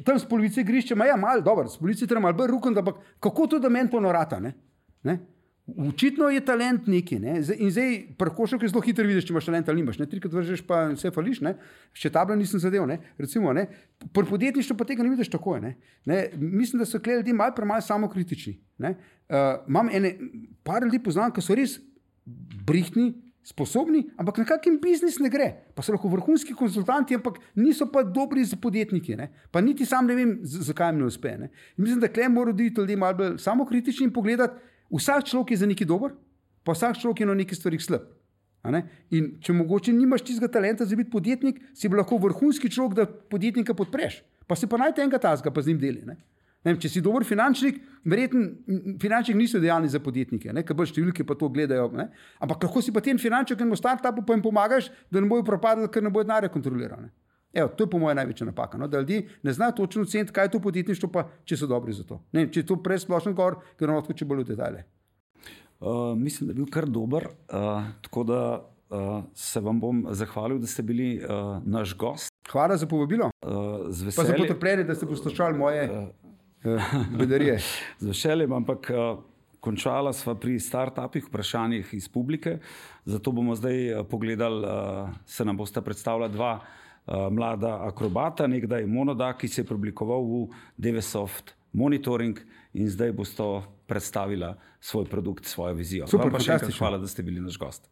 Tam s polovice igrišča, malo, dobro, s polovice treba malo bolj rukati, ampak kako to, da meni to narata, ne? Očitno je talent neki, ne? In zdaj pri košarki je zelo hitro vidiš, če imaš talent ali nimaš, ne? 3krat vržeš pa vse fališ, ne? Še tabla nisem zadev, ne? Recimo, ne? Pri podjetništvu pa tega ne vidiš takoj, ne? Mislim, da so tukaj ljudje malo samokritični, ne? Imam par ljudi poznam, ki so res brihtni, sposobni, ampak na kakim biznis ne gre. Pa so lahko vrhunski konzultanti, ampak niso pa dobri za podjetniki. Ne? Pa niti sam ne vem, zakaj jim ne uspe. Ne? In mislim, da tukaj morajo biti ljudje malo bolj samokritični in pogledati, vsak človek je za nekaj dober, pa vsak človek je na nekaj stvarih slab. In če mogoče nimaš tistega talenta za biti podjetnik, si bi lahko vrhunski človek, da podjetnika podpreš. Pa se pa najte enega tazga, pa z njim deli. Ne? Če si dober finančnik, verjetno finančnik niso idealni za podjetnike, ker bolj številke pa to gledajo. Ne? Ampak lahko si pa tem finančnikom enemu startupu pa jim pomagaš, da ne bojo propadli, ker ne bojo denarja kontrolirali. Evo, to je po moje največja napaka, da ljudje ne znajo točno oceniti, kaj je to podjetništvo, pa če so dobri za to. Če je to presplošen govor, ker lahko če bolj v detajle. Mislim, da je bil kar dober, tako da se vam bom zahvalil, da ste bili naš gost. Hvala za povabilo. Pa za potrpljenje, da ste poslušali moje bedarije. Z veseljem, ampak končala sva pri startupih, vprašanjih iz publike, zato bomo zdaj pogledali, se nam bosta predstavila dva mlada akrobata, nekdaj Monoda, ki se je preoblikoval v Devesoft Monitoring in zdaj bosta predstavila svoj produkt, svojo vizijo. Super, vam pa še enkrat hvala, da ste bili naš gost.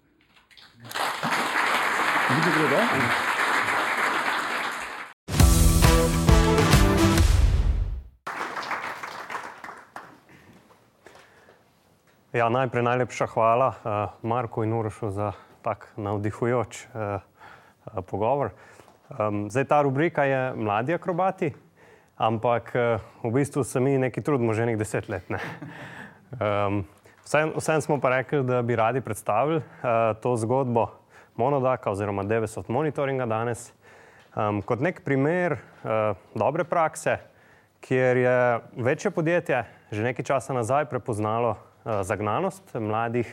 Ja, najprej najlepša hvala Marku in Urošu za tak navdihujoč pogovor. Zdaj ta rubrika je Mladi akrobati, ampak v bistvu se mi neki trudimo že nekaj 10 let. Ne? Vsem smo pa rekli, da bi radi predstavili to zgodbo Monodaka oziroma Devesoft Monitoringa danes kot nek primer dobre prakse, kjer je večje podjetje že nekaj časa nazaj prepoznalo zagnanost mladih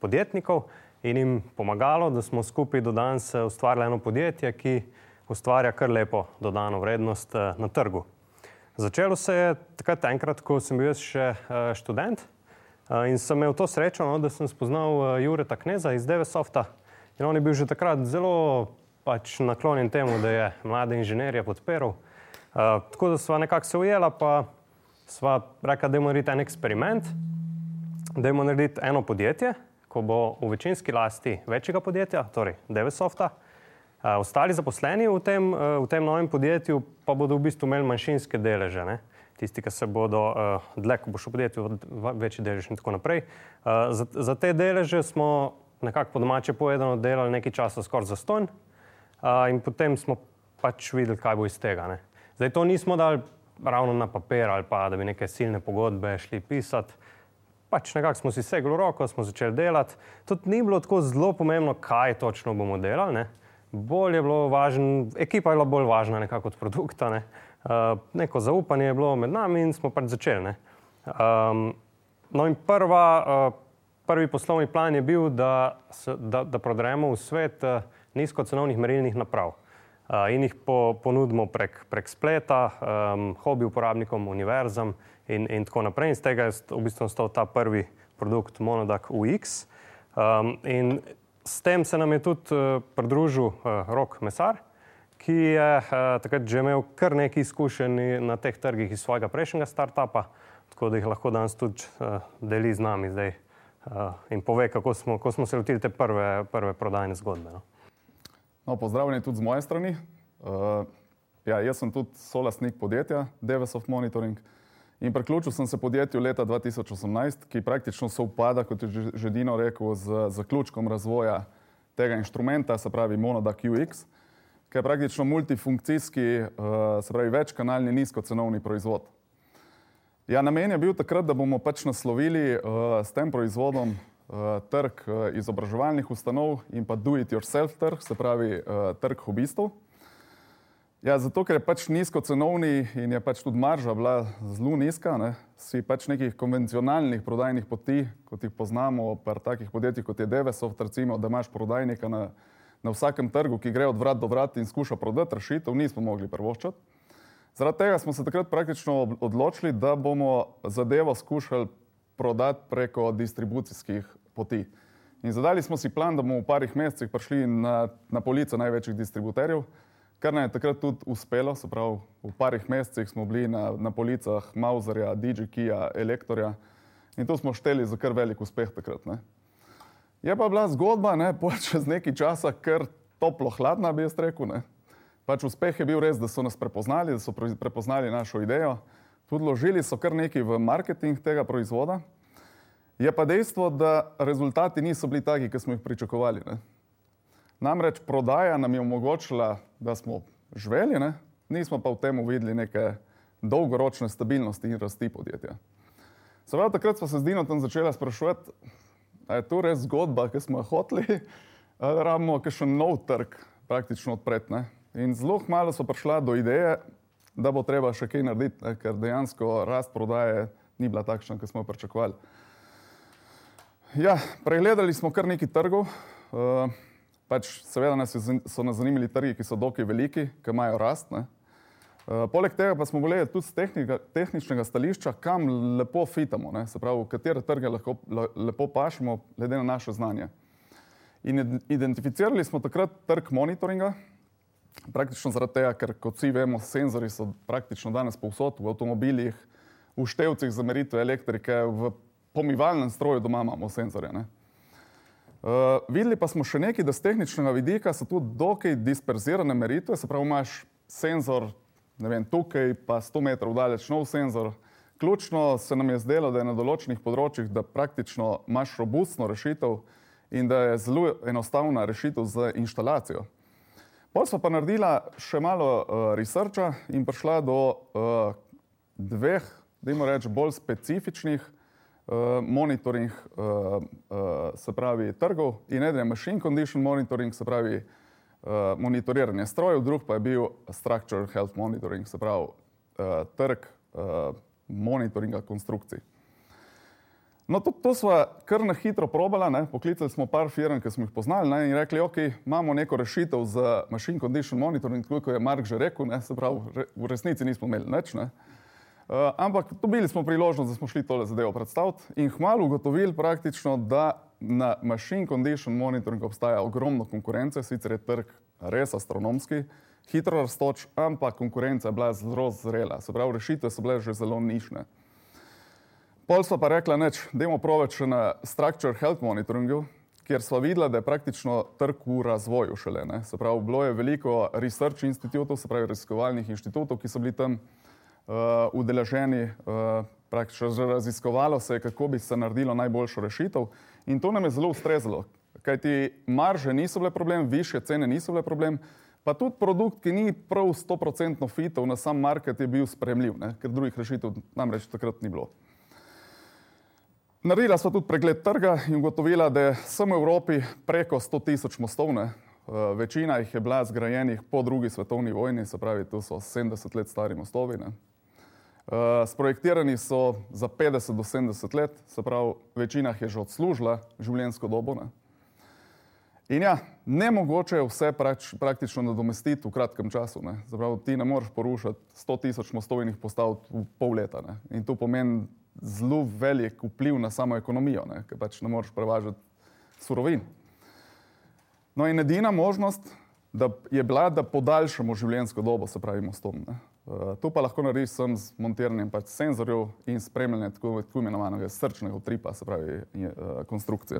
podjetnikov in jim pomagalo, da smo skupaj do danes ustvarili eno podjetje, ki ustvarja kar lepo dodano vrednost na trgu. Začelo se je takrat enkrat, ko sem bil jaz še študent in sem imel to srečo, da sem spoznal Jureta Kneza iz Devesofta in on je bil že takrat zelo naklonjen temu, da je mlade inženirje podpiral. Tako da sva nekako se ujela, pa sva rekla, da bomo narediti en eksperiment, da bomo narediti eno podjetje, ko bo v večinski lasti večjega podjetja, torej Devesofta. Ostali zaposleni v tem novem podjetju pa bodo v bistvu imeli manjšinske deleže. Ne? Tisti, ki se bodo dlje, ko bo šel v podjetju, večji delež in tako naprej. Za te deleže smo nekako po domače povedano delali nekaj časa skoraj zastonj in potem smo videli, kaj bo iz tega. Ne? Zdaj to nismo dali ravno na papir ali pa, da bi neke silne pogodbe šli pisati. Nekako smo si segli v roko, smo začeli delati. Tudi ni bilo tako zelo pomembno, kaj točno bomo delali. Ne? Bolj je bilo važno, ekipa je bila bolj važna nekako od produkta. Ne? Neko zaupanje je bilo med nami in smo začeli. Ne? No in prvi poslovni plan je bil, da prodremo v svet nizkocenovnih merilnih naprav. In jih ponudimo prek spleta, hobi uporabnikom, univerzam in tako naprej. In z tega je v bistvu nastal ta prvi produkt Monodak UX. In s tem se nam je tudi pridružil Rok Mesar, ki je takrat že imel kar nekaj izkušenj na teh trgih iz svojega prejšnjega startupa, tako da jih lahko danes tudi deli z nami zdaj in pove, kako smo se lotili te prve prodajne zgodbe. No, pozdravljeni tudi z moje strani. Jaz sem tudi solastnik podjetja Devesoft Monitoring in priključil sem se podjetju leta 2018, ki praktično sovpada, kot je že Dino rekel, z zaključkom razvoja tega inštrumenta, se pravi Monodak UX, ki je praktično multifunkcijski, se pravi večkanalni nizkocenovni proizvod. Ja, namen je bil takrat, da bomo pač naslovili s tem proizvodom trg izobraževalnih ustanov in pa do-it-yourself trg, se pravi trg hobistov. Ja, zato, ker je pač nizkocenovni in je pač tudi marža bila zelo nizka, ne, si pač nekih konvencionalnih prodajnih poti, kot jih poznamo pri takih podjetjih, kot je Devesoft, recimo, da imaš prodajnika na vsakem trgu, ki gre od vrat do vrat in skuša prodati rešitev, nismo mogli privoščiti. Zaradi tega smo se takrat praktično odločili, da bomo zadevo skušali prodati preko distribucijskih poti. In zadali smo si plan, da bomo v parih mesecih prišli na police največjih distributerjev, kar nam je takrat tudi uspelo, se pravi, v parih mesecih smo bili na policah Mauserja, DigiKeya, Elektorja in to smo šteli za kar velik uspeh takrat, ne. Je pa bila zgodba, ne, čez nekaj časa kar toplo hladna, bi jaz rekel, ne. Pač uspeh je bil res, da so nas prepoznali, da so prepoznali našo idejo, tudi vložili so kar nekaj v marketing tega proizvoda. Je pa dejstvo, da rezultati niso bili taki, ki smo jih pričakovali, ne. Namreč prodaja nam je omogočila, da smo živeli, ne, nismo pa v tem videli neke dolgoročne stabilnosti in rasti podjetja. Seveda takrat smo se z Dinotom začela spraševati, a je to res zgodba, ki smo jo hoteli, ali rabimo kakšen nov trg praktično odpreti, ne. In zelo kmalu so prišla do ideje, da bo treba še kaj narediti, ne, ker dejansko rast prodaje ni bila takšna, kot smo jo pričakovali. Ja, pregledali smo kar nekaj trgov, pač seveda so nas zanimali trgi, ki so dokaj veliki, ki imajo rast, ne. Poleg tega pa smo gledali tudi z tehničnega stališča, kam lepo fitamo, ne, se pravi, v katere trge lahko lepo pašemo, glede na naše znanje. In identificirali smo takrat trg monitoringa, praktično zaradi tega, ker kot vsi vemo, senzori so praktično danes povsod, v avtomobilih, v števcih za meritve elektrike, v pomivalnem stroju doma imamo senzorje, ne. Videli pa smo še nekaj, da z tehničnega vidika so tudi dokaj disperzirane meritve, se pravi, imaš senzor, ne vem, tukaj pa 100 metrov daleč nov senzor. Ključno se nam je zdelo, da je na določenih področjih, da praktično imaš robustno rešitev in da je zelo enostavna rešitev za inštalacijo. Potem smo pa naredila še malo researcha in prišla do dveh, dajmo reči, bolj specifičnih monitoring, se pravi, trgov. In eden je machine condition monitoring, se pravi, monitoriranje strojev, drug pa je bil structural health monitoring, se pravi, trg monitoringa konstrukcij. No, to sva kar na hitro probala, ne, poklicali smo par firm, ki smo jih poznali, ne, in rekli, ok, imamo neko rešitev za machine condition monitoring, kot je Mark že rekel, ne, se pravi, v resnici nismo imeli nič, ne. Ampak dobili smo priložnost, da smo šli tole zadevo predstaviti in kmalu ugotovili praktično, da na machine condition monitoring obstaja ogromno konkurence, sicer je trg res astronomski, hitro rastoč, ampak konkurenca je bila zelo zrela, se pravi, rešitve so bile že zelo nišne. Pol sva pa rekla, neč, dajmo probati še na structure health monitoringu, kjer sva videla, da je praktično trg v razvoju šele, ne. Se pravi, bilo je veliko research institutov, se pravi, raziskovalnih inštitutov, ki so bili tam udeleženi, praktično raziskovalo se je, kako bi se naredilo najboljšo rešitev in to nam je zelo ustrezalo, kajti marže niso bile problem, višje cene niso bile problem, pa tudi produkt, ki ni prav 100% fitov na sam market, je bil sprejemljiv, ne, ker drugih rešitev namreč takrat ni bilo. Naredila sva tudi pregled trga in ugotovila, da je samo v Evropi preko 100 000 mostov, ne. Večina jih je bila zgrajenih po drugi svetovni vojni, se pravi, to so 70 let stari mostovi, ne. Sprojektirani so za 50 do 70 let, se pravi, večina jih je že odslužila življenjsko dobo, ne. In ja, nemogoče je vse praktično nadomestiti v kratkem času, ne. Se pravi, ti ne moreš porušiti 100 000 mostov in jih postaviti v pol leta, ne. In to pomeni zelo velik vpliv na samo ekonomijo, ne, ker pač ne moreš prevažati surovin. No in edina možnost je bila, da podaljšamo življenjsko dobo, se pravi, mostom, ne. To pa lahko narediš samo z montiranjem pač senzorjev in spremljanjem tako imenovanega srčnega utripa, se pravi, konstrukcije.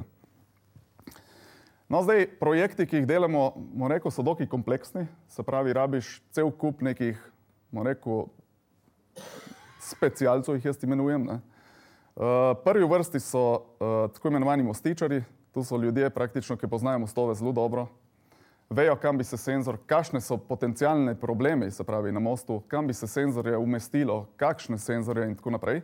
No, zdaj, projekti, ki jih delamo, bom rekel, so dokaj kompleksni, se pravi, rabiš cel kup nekih, bom rekel, specialcev jih jaz imenujem, ne. Prvi v vrsti so tako imenovani mostičarji, to so ljudje praktično, ki poznajo mostove zelo dobro, vejo, kam bi se senzor, kakšne so potencialne problemi, se pravi, na mostu, kam bi se senzorje umestilo, kakšne senzorje in tako naprej.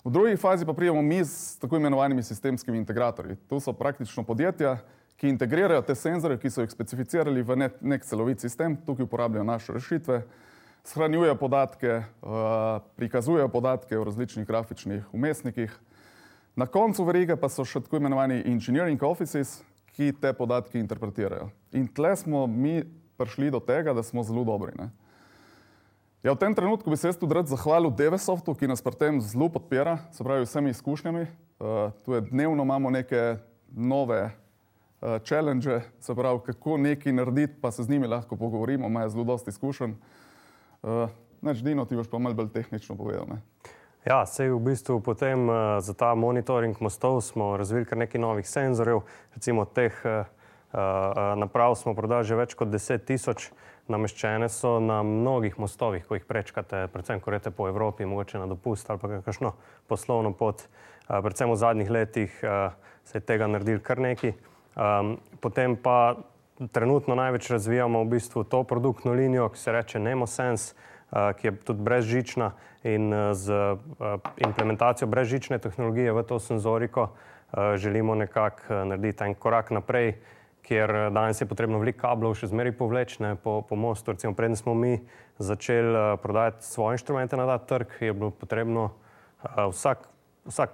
V drugi fazi pa pridemo mi s tako imenovanimi sistemskimi integratorji. Tu so praktično podjetja, ki integrirajo te senzore, ki so jih specificirali v nek celovit sistem, tukaj uporabljajo naše rešitve, shranjujejo podatke, prikazujejo podatke v različnih grafičnih vmesnikih. Na koncu verige pa so še tako imenovani engineering offices, ki te podatke interpretirajo. In tle smo mi prišli do tega, da smo zelo dobri. Ne? Ja, v tem trenutku bi se jaz tudi rad zahvalil Devesoftu, ki nas pri tem zelo podpira, se pravi vsemi izkušnjami. Tu je dnevno imamo neke nove challenge, se pravi, kako nekaj narediti, pa se z njimi lahko pogovorimo, imajo zelo dosti izkušenj. Dino, ti boš pa malo bolj tehnično povedal. Ne? Ja, sej v bistvu potem za ta monitoring mostov smo razvili kar nekaj novih senzorjev, recimo teh naprav smo prodali že več kot 10 000, nameščene so na mnogih mostovih, ko jih prečkate, predvsem ko greste po Evropi, mogoče na dopust ali pa kakšno poslovno pot. Predvsem v zadnjih letih se je tega naredili kar nekaj. Potem pa trenutno največ razvijamo v bistvu to produktno linijo, ki se reče NemoSense, ki je tudi brezžična in z implementacijo brezžične tehnologije v to senzoriko želimo nekako narediti en korak naprej, kjer danes je potrebno veliko kablov še zmeraj povleči po mostu. Recimo, preden smo mi začeli prodajati svoje inštrumente na ta trg, je bilo potrebno vsak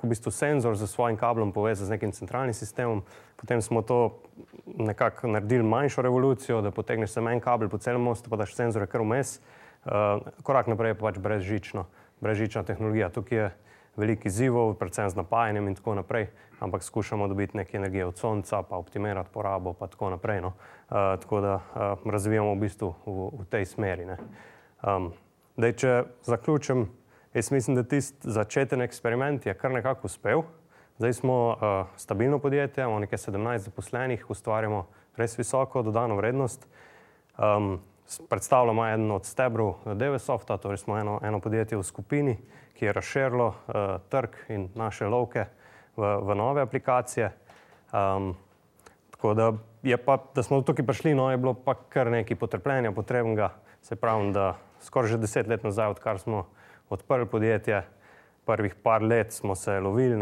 v bistvu senzor z svojim kablom povezati z nekim centralnim sistemom. Potem smo to nekako naredili manjšo revolucijo, da potegneš samo en kabel po celem mostu, pa daš senzore kar vmes. Korak naprej je pa pač brezžična tehnologija. Tukaj je veliko izzivov, predvsem z napajanjem in tako naprej, ampak skušamo dobiti nekaj energije od sonca, pa optimirati porabo, pa tako naprej. No. Tako da razvijamo v bistvu v tej smeri. Ne. Daj, če zaključim, jaz mislim, da tisti začeten eksperiment je kar nekako uspel. Zdaj smo stabilno podjetje, imamo nekaj 17 zaposlenih, ustvarjamo res visoko dodano vrednost. Predstavljamo eden od stebrov Devesofta, torej smo eno podjetje v skupini, ki je razširilo trg in naše lovke v nove aplikacije. Tako da da smo tukaj prišli, no, je bilo pa kar nekaj potrpljenja potrebnega. Se pravim, da skoraj že 10 let nazaj, odkar smo odprli podjetje, prvih par let smo se lovili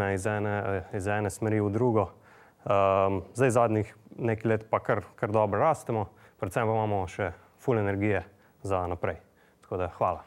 iz ene smeri v drugo. Zdaj zadnjih nekaj let pa kar dobro rastemo, predvsem pa imamo še ful energije za naprej. Tako da hvala.